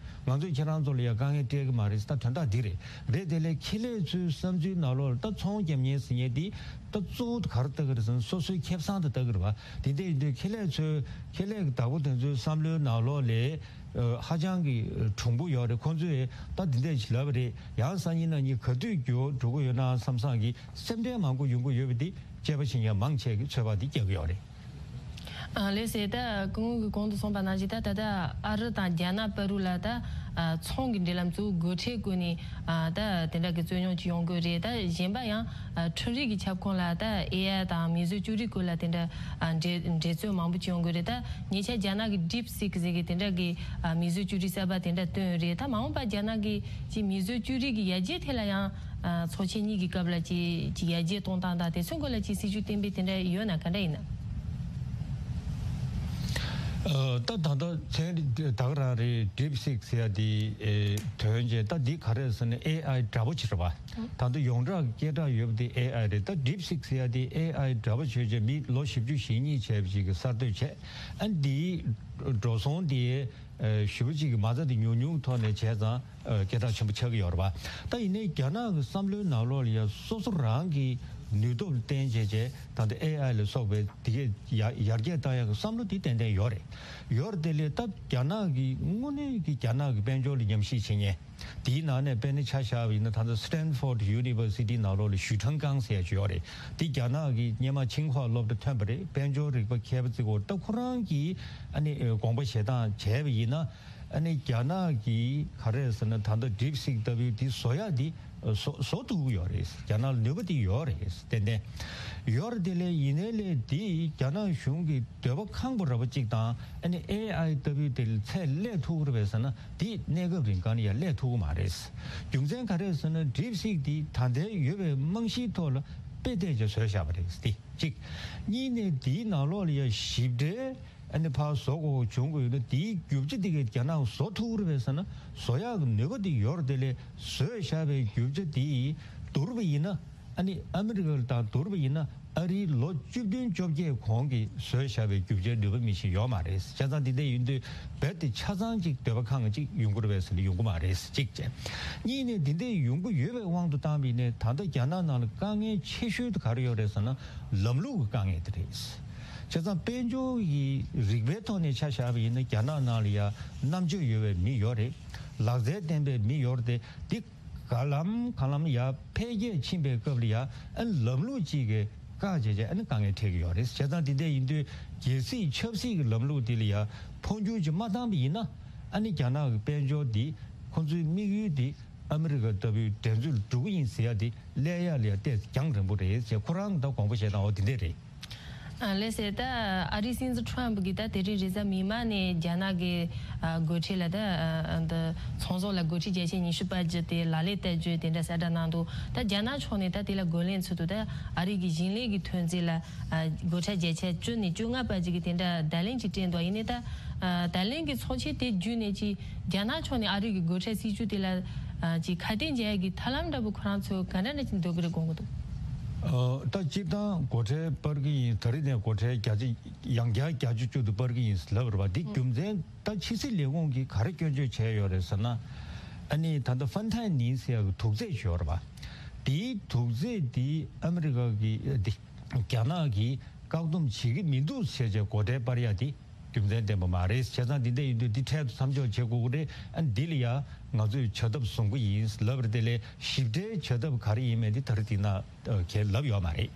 ང་ཚོས་ཁྱེད་རང་ཚོ་ལ་ཡང་དཀའ་ངལ་སྤྲད་ཀྱི་མ་རེད། ད་དོན་དག་འདི་རེད། རེད་དེ་ལས་ཁེ་ལས་ཚོའི་བསམ་ཚུལ་ནང་ལོགས་ལ་ད་ཚོང་བརྒྱབ་མཁན་ཟེར་མཁན་འདི་ད་གཙོ་བོ་དེ་ག་རེ་ལྟ་གི་རེད་ཟེར་ན་སོ་སོའི་ཁེ་བཟང་དེ་ལྟ་གི་རེད་པ། དེ་འདྲ་ཡིན་དུས་ཁེ་ལས་ཚོའི་ཁེ་ལས་ཀྱི་བདག་པོ་དེ་ཚོའི་བསམ་བློའི་ནང་ལོགས་ལ་ཨ་ཧ་ཅང་གི་གྲུང་པོ་ཡོད་རེད། ཁོང་ཚོས་ད་འདི་འདྲ་ཞིག་ལབ་པ་རེད། ཡང་སང་ཉིན་གནངས་ཉིན་ག་དུས་འགྱུར་བ་འགྲོ་གི་ཡོད་ན་བསམ་བསམ་གྱི་སེམས་ཁྲལ་མང་པོ་ཡོང་གི་ཡོད་པ་འདི་དཔྱད་པ་བྱེད་མཁན་མང་ཆེ་གིས་ཚོད་དཔག་འདི་རྒྱག་གི་ཡོད་རེད། ཨ་ལགས་སེ། ད་སྐུ་ངོ་གིས་གོང་དུ་གསུངས་པ་ནང་བཞིན་ད་ད་ལྟ་ཨ་རི་དང་རྒྱ་ནག་བར་དུ་ལ་ད་ཨ་ཚོང་གི་འབྲེལ་ལམ་གཙོ་བོ་སྒོ་ཁྲལ་བཀོལ་ནས་ཨ་ད་དེ་འདྲ་གི་རྩོད་རྙོག་ཅིག་ཡོང་གི་རེད། ད་གཞན་པ་ཡང་ཨ་འཕྲུལ་རིག་གི་ཁྱབ་ཁོངས་ལ་ད་ཨེ་ཨའི་དང་མིང་བཟོ་བཅོས་སྒྲིག་སྐོར་ལ་དེ་འདྲ་ཨ་འགྲན་འགྲན་རྩོད་མང་པོ་ཅིག་ཡོང་གི་རེད། ད་ཉེ་ཆར་རྒྱ་ནག་གི་ཌིབ་སིག་ཟེར་གི་དེ་འདྲ་གི་ཨ་མིང་བཟོ་བཅོས་སྒྲིག་གསར་པ་དེ་འདྲ་བཏོན་ཡོད་རེད། ད་མ་འོངས་པ་རྒྱ་ནག་གི་ཅིག་མིང་བཟོ་བཅོས་སྒྲིག་གི་ཡར་རྒྱས་ཐད་ལ་ཡང་ཨ་ཚོགས་ཆེན་གཉིས་ཀྱི་སྐབས་ལ་ཅིག་ཅིག་ཡར་རྒྱས་གཏོང་སྟངས་དང་དེ་ཚོའི་སྐོར་ལ་ཅིག་སྲིད་ཇུས་གཏན་འབེབས་དེ་འདྲ་ཡོད་ན་ག་འདྲ་ཡིན་ན། ཨ། ད་ད་ལྟ་མཚན་ད་ག་རང་རེད། DeepSeek ཟེར་ཡ་དེ་ཨེ་ཐོན་རྗེས། ད་འདི་ག་རེ་ཟེར་ན་ཨེ་ཨའི་འདྲ་པོ་ཅིག་རེད་པ། ད་ལྟ་ཡོངས་གྲགས་སྐད་གྲགས་ཡོད་པ་དེ་ཨེ་ཨའི་རེད། ད་DeepSeek ཟེར་ཡ་དེ་ཨེ་ཨའི་འདྲ་པོ་བྱས་རྗེས་མི་ལོ་བཞི་བཅུ་ཞེ་གཉིས་བྱས་པ་ཅིག་གིས་གསར་གཏོད་བྱས། ཨ་འདིའི་འགྲོ་སོང་དེ་ཨེ་ཞེ་པོ་ཅིག་གི་མ་རྩ་དེ་ཉུང་ཉུང་ཐོག་ནས་བྱས་ཙང་ཨ་སྐད་གྲགས་ཆེན་པོ་ཆགས་ཀྱི་ཡོད་རེད་པ། ད་ཡིན་ནའི་རྒྱ་ནག་གི་བསམ་བློའི་ནང་ལོགས་ལ་ཡ་སོ་སོ་རང་གི་ནུས་སྟོབས་བརྟེན་བྱས་བྱས་ད་ལྟ་ཨེ་ཨའི་ལ་སོགས་པའི་དེ་གས་ཡར་ཡར་རྒྱས་བཏང་ཡག་གི་བསམ་བློ་དེ་ཏན་ཏན་ཡོད་རེད། ཡོད་རེད་དེ་ལས་ད་རྒྱ་ནག་གི་དངོས་གནས་ཀྱི་རྒྱ་ནག་གི་དཔལ་འབྱོར་ལ་ཉམས་ཞིབ་བྱེད་མཁན། དེའི་ནང་ནས་དཔེར་ན་ཆ་བཞག་པ་ཡིན་ན། ད་ལྟ་Stanford University ནང་ལོགས་ལ་ཞུས་ཁྲང་ཀང་ཟེར་ཡ་ཅིག་ཡོད་རེད། དེ་རྒྱ་ནག་གི་སྔོན་མ་ཆིང་ཧྭ་སློབ་གྲྭ་ཐོན་པ་རེད། དཔལ་འབྱོར་རིག་པ་མཁས་པ་ཅིག་ཡོད་རེད། ད་ཁོ་རང་གིས་ཨ་ནི་དགོངས་པ་བཞེས་སྟངས་བྱས་པ་ཡིན་ན། ཨ་ནི་རྒྱ་ནག་གིས་ག་རེ་ཟེར་ན། ད་ལྟ་DeepSeek ལྟ་བུའི་དེ་བཟོ་ཡག་དེ་བཟོ་བཟོ་ཐུབ་ཀྱི་ཡོད་རེད། རྒྱ་ནག་ལ་ནུས་པ་དེ་ཡོད་རེད། ཏན་ཏན་ཡོད་རེད། དེ་ལས་ཡིན་ནའི་ལས་དེ་རྒྱ་ནག་གཞུང་གི་འདོད་པ་ཁེངས་པོ་ར་བ་གཅིག་དང་། ཨ་ནི་ཨེ་ཨའི་ལྟ་བུའི་དེ་ལ་ཚད་སླེབས་ཐུབ་ཀྱི་རེད་པས་ཟེར་ན། དེ་གནས་སྐབས་རིང་གང་ལ་ཡང་སླེབས་ཐུབ་ཀྱི་མ་རེད། རྒྱུ་མཚན་ག་རེ་ཟེར་ན། DeepSeek དེ་ད་ལྟའི་ཡོད་པའི་རྨང་གཞིའི་ཐོག་ལ་དཔེ་བལྟས་བྱས་བཟོས་བཞག་པ་རེད། དེ་གཅིག་གཉིས་ནས་དེའི་ནང་ལོགས་ལ་ཡང་ཞིབ་ཕྲའི་ཨ་ནི་ཕར་བཟོ་དགོས་བྱུང་དགོས་ཡོད་ན། དེའི་རྒྱུ་ཆ་དེ་གས་རྒྱ་ནག་བཟོ་ཐུབ་ཀྱི་རེད་པས་ཟེར་ན། བཟོ་ཡག་གི་ནུས་པ་དེ་ཡོད་རེད། དེ་ལས་བཟོས་བཞག་པའི་རྒྱུ་ཆ་དེ་བསྡུར་བ་ཡིན་ན། ཨ་ནི་ཨ་མི་རི་ཀ་དང་བསྡུར་བ་ཡིན་ན། ཨ་རིའི་ལོ་བཅུ་བདུན་བཅོ་བརྒྱད་གོང་གི་བཟོས་བཞག་པའི་རྒྱུ་ཆའི་ནུས་པ་མི་ཞིག་ཡོད་མ་རེད། བྱས་ཙང་འདི་འདྲ་ཡིན་དུས་རྦད་དེ་ཆ་ཚང་ཅིག་འདོད་པ་ཁེངས་ཅིག་ཡོང་གི་རེད་པས་ཟེར་ན་ཡོང་གི་མ་རེད། གཅིག་བྱས། གཉིས་ནས་འདི་འདྲའི་ཡོང་གི་ཡོད་པའི་དབང་དུ་བཏང་བ་ཡིན་ནའི། ད་ལྟ་རྒྱ་ནག་ནང་ལ་དཀའ་ངལ་ཆེ་ཤོས་དེ་ག་རེ་ཡོད་རེད་ཟེར་ན། ལམ་ལུགས་ཀྱི་དཀའ་ངལ་དེ་རེད། བྱས་ཙང་དཔལ་འབྱོར་གྱི་རིག་པའི་ཐོག་ནས་ཆ་བཞག་པ་ཡིན་ན། རྒྱ་ནག་ནང་ལ་ཡ་རྣམ་དཔྱོད་ཡོད་པའི་མི་ཡོད་རེད། ལག་རྩལ་ལྡན་པའི་མི་ཡོད་རེད་དེ། འདི་ག་ལམ་གང་ལམ་ཡར་འཕེལ་རྒྱས་ཕྱིན་པའི་སྐབས་ལ་ཡ། ཨ་ནི་ལམ་ལུགས་གཅིག་གིས་བཀག་བྱས་བྱས། ཨ་ནི་དཀའ་ངལ་འཕྲད་ཀྱི་ཡོད་རེད། བྱས་ཙང་འདི་འདྲ་ཡིན་དུས་རྒྱལ་སྲིད་ཆབ་སྲིད་ཀྱི་ལམ་ལུགས་འདི་ལ་ཡ་འཕོ་འགྱུར་ཅིག་མ་བཏང་པ་ཡིན་ན། ཨ་ནི་རྒྱ་ནག་གི་དཔལ་འབྱོར་འདི་ཁོ་ཚོའི་དམིགས་ཡུལ་འདི་ཨ་མི་རི་ཀ་ལྟ་བུའི་འགྲན་རྩོད་ལ་འགྲོ་གི་ཡིན་ཟེར་ཡ་འདི་སླེབས་ཡ་ལ་ཡ་ཏོག་ཙམ་རྒྱང་རིང་པོ་རེད་ཅེས་ཁོ་རང་གི་ད་དགོངས་པ་བཞེས་སྟངས་འོ་དེ་འདྲ་རེད། ཨ་ལགས་སེ། ད་ཨ་རིའི་སྲིད་འཛིན་ཊརམ་ཕི་གིས་ད་དེ་རིང་རེས་གཟའ་མིག་དམར་ནས་རྒྱ་ནག་གི་ཨ་སྒོ་ཁྲལ་ལ། ད་ཨ་འདི་ཚོང་ཟོག་ལ་སྒོ་ཁྲལ་བརྒྱ་ཆ་ཉི་ཤུ་པར་གྱི་དེ་ལག་ལེན་བསྟར་རྒྱུ་དེ་འདྲ་གསལ་བསྒྲགས་གནང་འདུག་ད་རྒྱ་ནག་ཕྱོགས་ནས་ད་དེ་ལ་རྒོལ་ལན་ཚུགས་འདུག་ད་ཨ་རི་གི་ཞིང་ལས་ཀྱི་ཐོན་རྫས་ལ་ཨ་སྒོ་ཁྲལ་བརྒྱ་ཆ་བཅུ་ནས་བཅོ་ལྔ་བར་གྱི་དེ་འདྲ་བརྡ་ལན་ཅིག་སྤྲད་འདུག་ཡིན་ནའི་ད་ཨ་བརྡ་ལན་གྱི་ཚོགས་ཆེན་དེ་བརྒྱུད་ནས་ཅིག་རྒྱ་ནག་ཕྱོགས་ནས་ཨ་རི་གི་སྒོ་ཁྲལ་སྲིད་ཇུས་དེ་ལ་ཨ་ཅིག་ཁ་གཏད་འཇལ་ཡ་གི་ཐབས་ལམ་འདྲ་པོ་ཁོ་རང་ཚོས་ག་འདྲ་འདྲ་ཅིག་འདོན་གི་རེད་དགོངས་གི་འདུག་ཨ། ད་སྤྱིར་བཏང་སྒོ་ཁྲལ་སྤར་གི་ཡིན། ད་རེས་ནས་སྒོ་ཁྲལ་བརྒྱ་ཆ་ཡང་བསྐྱར་བརྒྱ་ཆ་བཅུ་དེ་སྤར་གི་ཡིན་ལབ་རེད་པ། འདི་རྒྱུ་མཚན་ད་ཕྱི་སྲིད་ལས་ཁུངས་ཀྱིས་ག་རེ་སྐྱོན་བརྗོད་བྱས་ཡོད་རེད་ཟེར་ན། ཨ་ནི་ད་ལྟ་ཧྥན་ཐའི་ནི་ཟེར་ཡག་གི་དུག་རྫས་ཅིག་ཡོད་རེད་པ། དེའི་དུག་རྫས་དེ་ཨ་མི་རི་ཀ་གི་ཨ་དེ་རྒྱ་ནག་གིས་བཀག་སྡོམ་བྱེད་ཀྱི་མི་འདུག་ཟེར་བྱས་སྒོ་ཁྲལ་སྤར་ཡ་དེ་རྒྱུ་མཚན་ལྡན་པ་མ་རེད། བྱས་ཙང་འདི་འདྲ་ཡིན་དུས་འདི་འཕྲལ་དུ་མཚམས་འཇོག་བྱེད་དགོས་ཀྱི་རེད། ཨ་འདི་ལ་ཡ་ང་ཚོས་བྱ་ཐབས་བཟུང་གི་ཡིན་ལབ་རེད། དེ་ལས་ཞིབ་ཕྲའི་བྱ་ཐབས་ག་རེ་ཡིན་མིན་དེ་ད་རེས་འདི་ན་ཨ་གས་ལབ་ཡོད་མ་རེད།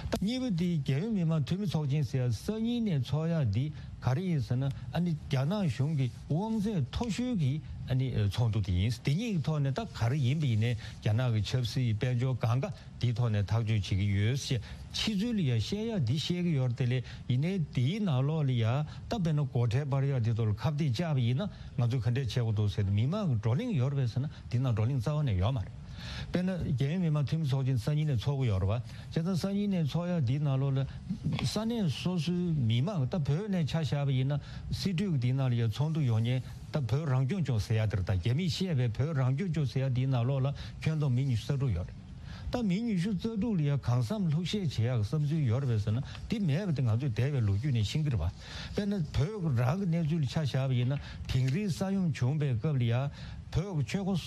ད་གཉིས་པ་དེ་རྒྱལ་ཡོངས་མི་དམངས་འཐུས་མི་ཚོགས་ཆེན་ཟེར་ཡ་སང་ཉིན་ནས་ཚོགས་ཡ་འདི་ག་རེ་ཡིན་ཟེར་ན། ཨ་ནི་རྒྱ་ནག་གཞུང་གི་དབང་ཚད་མཐོ་ཤོས་ཀྱི་ཨ་ནི་ཚོགས་འདུ་དེ་ཡིན། དེ་གཉིས་ཀྱི་ཐོག་ནས་ད་ག་རེ་ཡིན་པ་ཡིན་ནའི་རྒྱ་ནག་གི་ཆབ་སྲིད་དཔལ་འབྱོར་གང་ག་དེའི་ཐོག་ནས་ཐག་གཅོད་བྱེད་ཀྱི་ཡོད་ཞེས་ཕྱི་ཚུལ་ལ་ཡ་བཤད་ཡ་འདི་བཤད་ཀྱི་ཡོད་རེད། དེ་ལས་ཡིན་ནའི་དེའི་ནང་ལོགས་ལ་ཡ་ད་དཔེར་ན་སྒོ་ཁྲལ་སྤར་ཡ་དེ་ཚོ་ལ་ཁ་གཏད་བཅག་པ་ཡིན་ན་ང་ཚོས་ག་འདྲས་བྱེད་དགོས་འདུག་ཟེར་ཏེ་མི་མང་གི་བགྲོ་གླེང་ཡོད་རེད་པས་ཟེར་ན། དེ་ནང་བགྲོ་གླེང་རྩ་བ་ནས་ཡོད་མ་རེད། དཔེར་ན་རྒྱལ་ཡོངས་མི་དམངས་འཐུས་མི་ཚོགས་ཆེན་སང་ཉིན་ནས་ཚོགས་ཀྱི་ཡོད་རེད་པ། བྱས་ཙང་སང་ཉིན་ནས་ཚོགས་ཡ་འདིའི་ནང་ལོགས་ལ་ས་གནས་སོ་སོའི་མི་མང་། ད་བོད་ནས་ཆ་བཞག་པ་ཡིན་ན་སྲིད་གྲོས་ཀྱི་འདིའི་ནང་ལ་ཡ་ཚོགས་འདུ་ཡོང་མཁན་ད་བོད་རང་སྐྱོང་ལྗོངས་ཟེར་ཡ་དེ་རེད། ད་རྒྱ་མིས་བཤད་པའི་བོད་རང་སྐྱོང་ལྗོངས་ཟེར་ཡ་འདིའི་ནང་ལོགས་ལ་ཁྱོན་བསྡོམས་མི་ཉི་ཤུ་རྩ་དྲུག་ཡོད་རེད། ད་མི་ཉི་ཤུ་རྩ་དྲུག་ལ་ཡ་གང་བསམ་ལྷུག་བཤད་བྱེད་ཡག་བསམ་ཚུལ་ཡོད་རེད་པས་ཟེར་ན། དེ་མེད་པ་དེ་ང་ཚོས་འདས་པའི་ལོ་རྒྱུས་ནས་ཤེས་ཀྱི་རེད་པ། དཔེར་ན་བོད་རང་གི་གནས་ཚུལ་ལ་ཆ་བཞག་པ་ཡིན་ན། དིང་རིའི་ས་ཡོམ་བྱུང་བའི་སྐབས་ལ་ཡ་བོད་ཀྱི་ཆོལ་ཁ་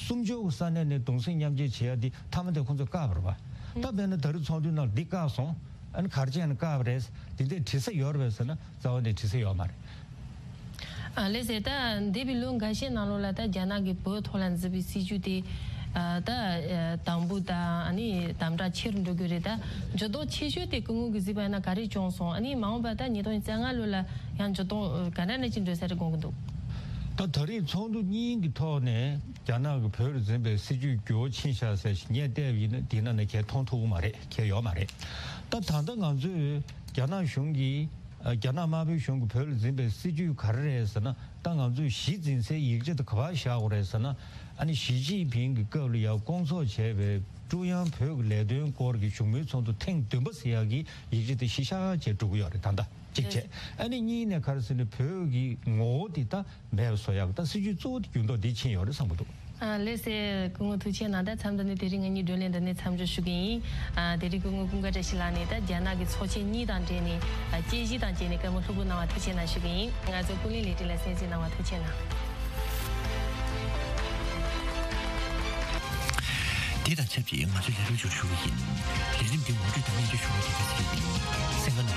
སུམ་ཅུ་གི་ས་གནས་ནས་གདུང་སེམས་མཉམ་སྐྱེད་བྱེད་ཡ་དེ་མཐའ་མ་དེ་ཁོང་ཚོས་བཀག་པ་རེད་པ། ད་དཔེར་ན་ད་རེས་ཚོགས་འདུའི་ནང་འདི་བཀག་སོང་། ཨ་ནི་ག་རེ་བྱས་ནས་བཀག་པ་རེད། དེ་འདྲའི་དྲི་ས་ཡོད་རེད་པས་ཟེར་ན། རྩ་བ་ནས་དྲི་ས་ཡོད་མ་རེད། ཨ་ལགས་སེ། ད་འདས་པའི་ལོ་འགའ་ཤས་ནང་ལོགས་ལ་ད་རྒྱ་ནག་གིས་བོད་ཐོག་ལ་འཛིན་པའི་སྲིད་ཇུས་དེ་ཨ་ད་ཨ་དམ་པོ་དང་ཨ་ནི་དམ་དྲག་ཆེ་རུ་འགྲོ་གི་རེད། ད་འགྱུར་ལྡོག་ཆེ་ཤོས་དེ་སྐུ་ངོ་གིས་གཟིགས་པ་ཡིན་ན་ག་རེ་བྱུང་སོང་། ཨ་ནི་མ་འོངས་པ་ད་ཉིས་སྟོང་ཉི་ཤུ་རྩ་ལྔ་ལོ་ལ་ཡང་འགྱུར་ལྡོག་ག་འདྲ་འདྲ་ཅིག་འགྲོ་ས་རེད་དགོངས་ཀྱི་འདུག་ད་ད་རེས་ཚོགས་འདུ་གཉིས་ཀྱི་ཐོག་ནས་རྒྱ་ནག་གིས་བོད་ལ་འཛིན་པའི་སྲིད་ཇུས་འགྱུར་བ་ཕྱིན་ཤག་ཟེར་ཞིག་ངས་བལྟས་པ་ཡིན་ན་འདི་ནང་ནས་གས་མཐོང་ཐུབ་ཀྱི་མ་རེད། གས་ཡོད་མ་རེད། ད་ད་ལྟ་ང་ཚོས་རྒྱ་ནག་གཞུང་གིས་ཨ་རྒྱ་ནག་དམར་པོའི་གཞུང་གིས་བོད་ལ་འཛིན་པའི་སྲིད་ཇུས་ག་རེ་རེད་ཟེར་ན། ད་ང་ཚོས་གཞི་འཛིན་སའི་ཡིག་ཆ་དེ་ག་པར་བཞག་དགོས་རེད་ཟེར་ན། ཨ་ནི་ཞི་ཅིན་ཕིང་གི་སྐབས་ལ་ཡང་བསྐོང་ཚོགས་བྱས་པའི་ཀྲུང་དབྱང་བོད་ཀྱི་ལས་དོན་སྐོར་གྱི་བཞུགས་མོལ་ཚོགས་འདུ་ཐེངས་བདུན་པ་ཟེར་ཡག་གི་ཡིག་ཆ་དེ་གཞི་བཞག་བྱས་འགྲོ་གི་ཡོད་རེད། ད་ལྟ་ གཅིག་བྱས། ཨ་ནི་གཉིས་ནས་ག་རེ་ཟེར་ན་བོད་ཀྱི་ངོ་བོ་དེ་ད་མེད་པ་བཟོ་ཡག་ད་སྲིད་ཇུས་གཙོ་བོ་དེ་འགྱུར་ལྡོག་འདི་ཕྱིན་ཡོད་རེད་བསམ་གྱི་འདུག་ཨ་ལགས་སེ། སྐུ་ངོ་ཐུགས་རྗེ་གནང་། ད་མཚམས་འདི་ནས་དེ་རིང་ང་གཉིས་བགྲོ་གླེང་འདི་ནས་མཚམས་འཇོག་ཞུ་གི་ཡིན། ཨ་དེ་རིང་སྐུ་ངོ་ཀུན་དགའ་བཀྲ་ཤིས་ལགས་ནས་ད་རྒྱ་ནག་གི་ཚོགས་ཆེན་གཉིས་དང་འབྲེལ་ནས་ཨ་དཔྱད་གཞི་དང་བཅས་ནས་བཀའ་མོལ་ལྷུག་པོ་གནང་བ་ཐུགས་རྗེ་གནང་ཞུ་གི་ཡིན། ང་ཚོ་ཀུན་གླེང་ལས་རིམ་ལ་གསན་གཟིགས་གནང་བ་ཐུགས་རྗེ་གནང་། དེ་དང་ཆབས་ཅིག་ང་ཚོས་ལས་རིམ་མཇུག་ཞུ་གི་ཡིན། ལས་རིམ་འདི་ངོ་སྤྲོད་དང་སྙན་སྒྲོན་ཞུ་བ་དེ་ག་ཚོད་ཡིན། གསན་མཁན་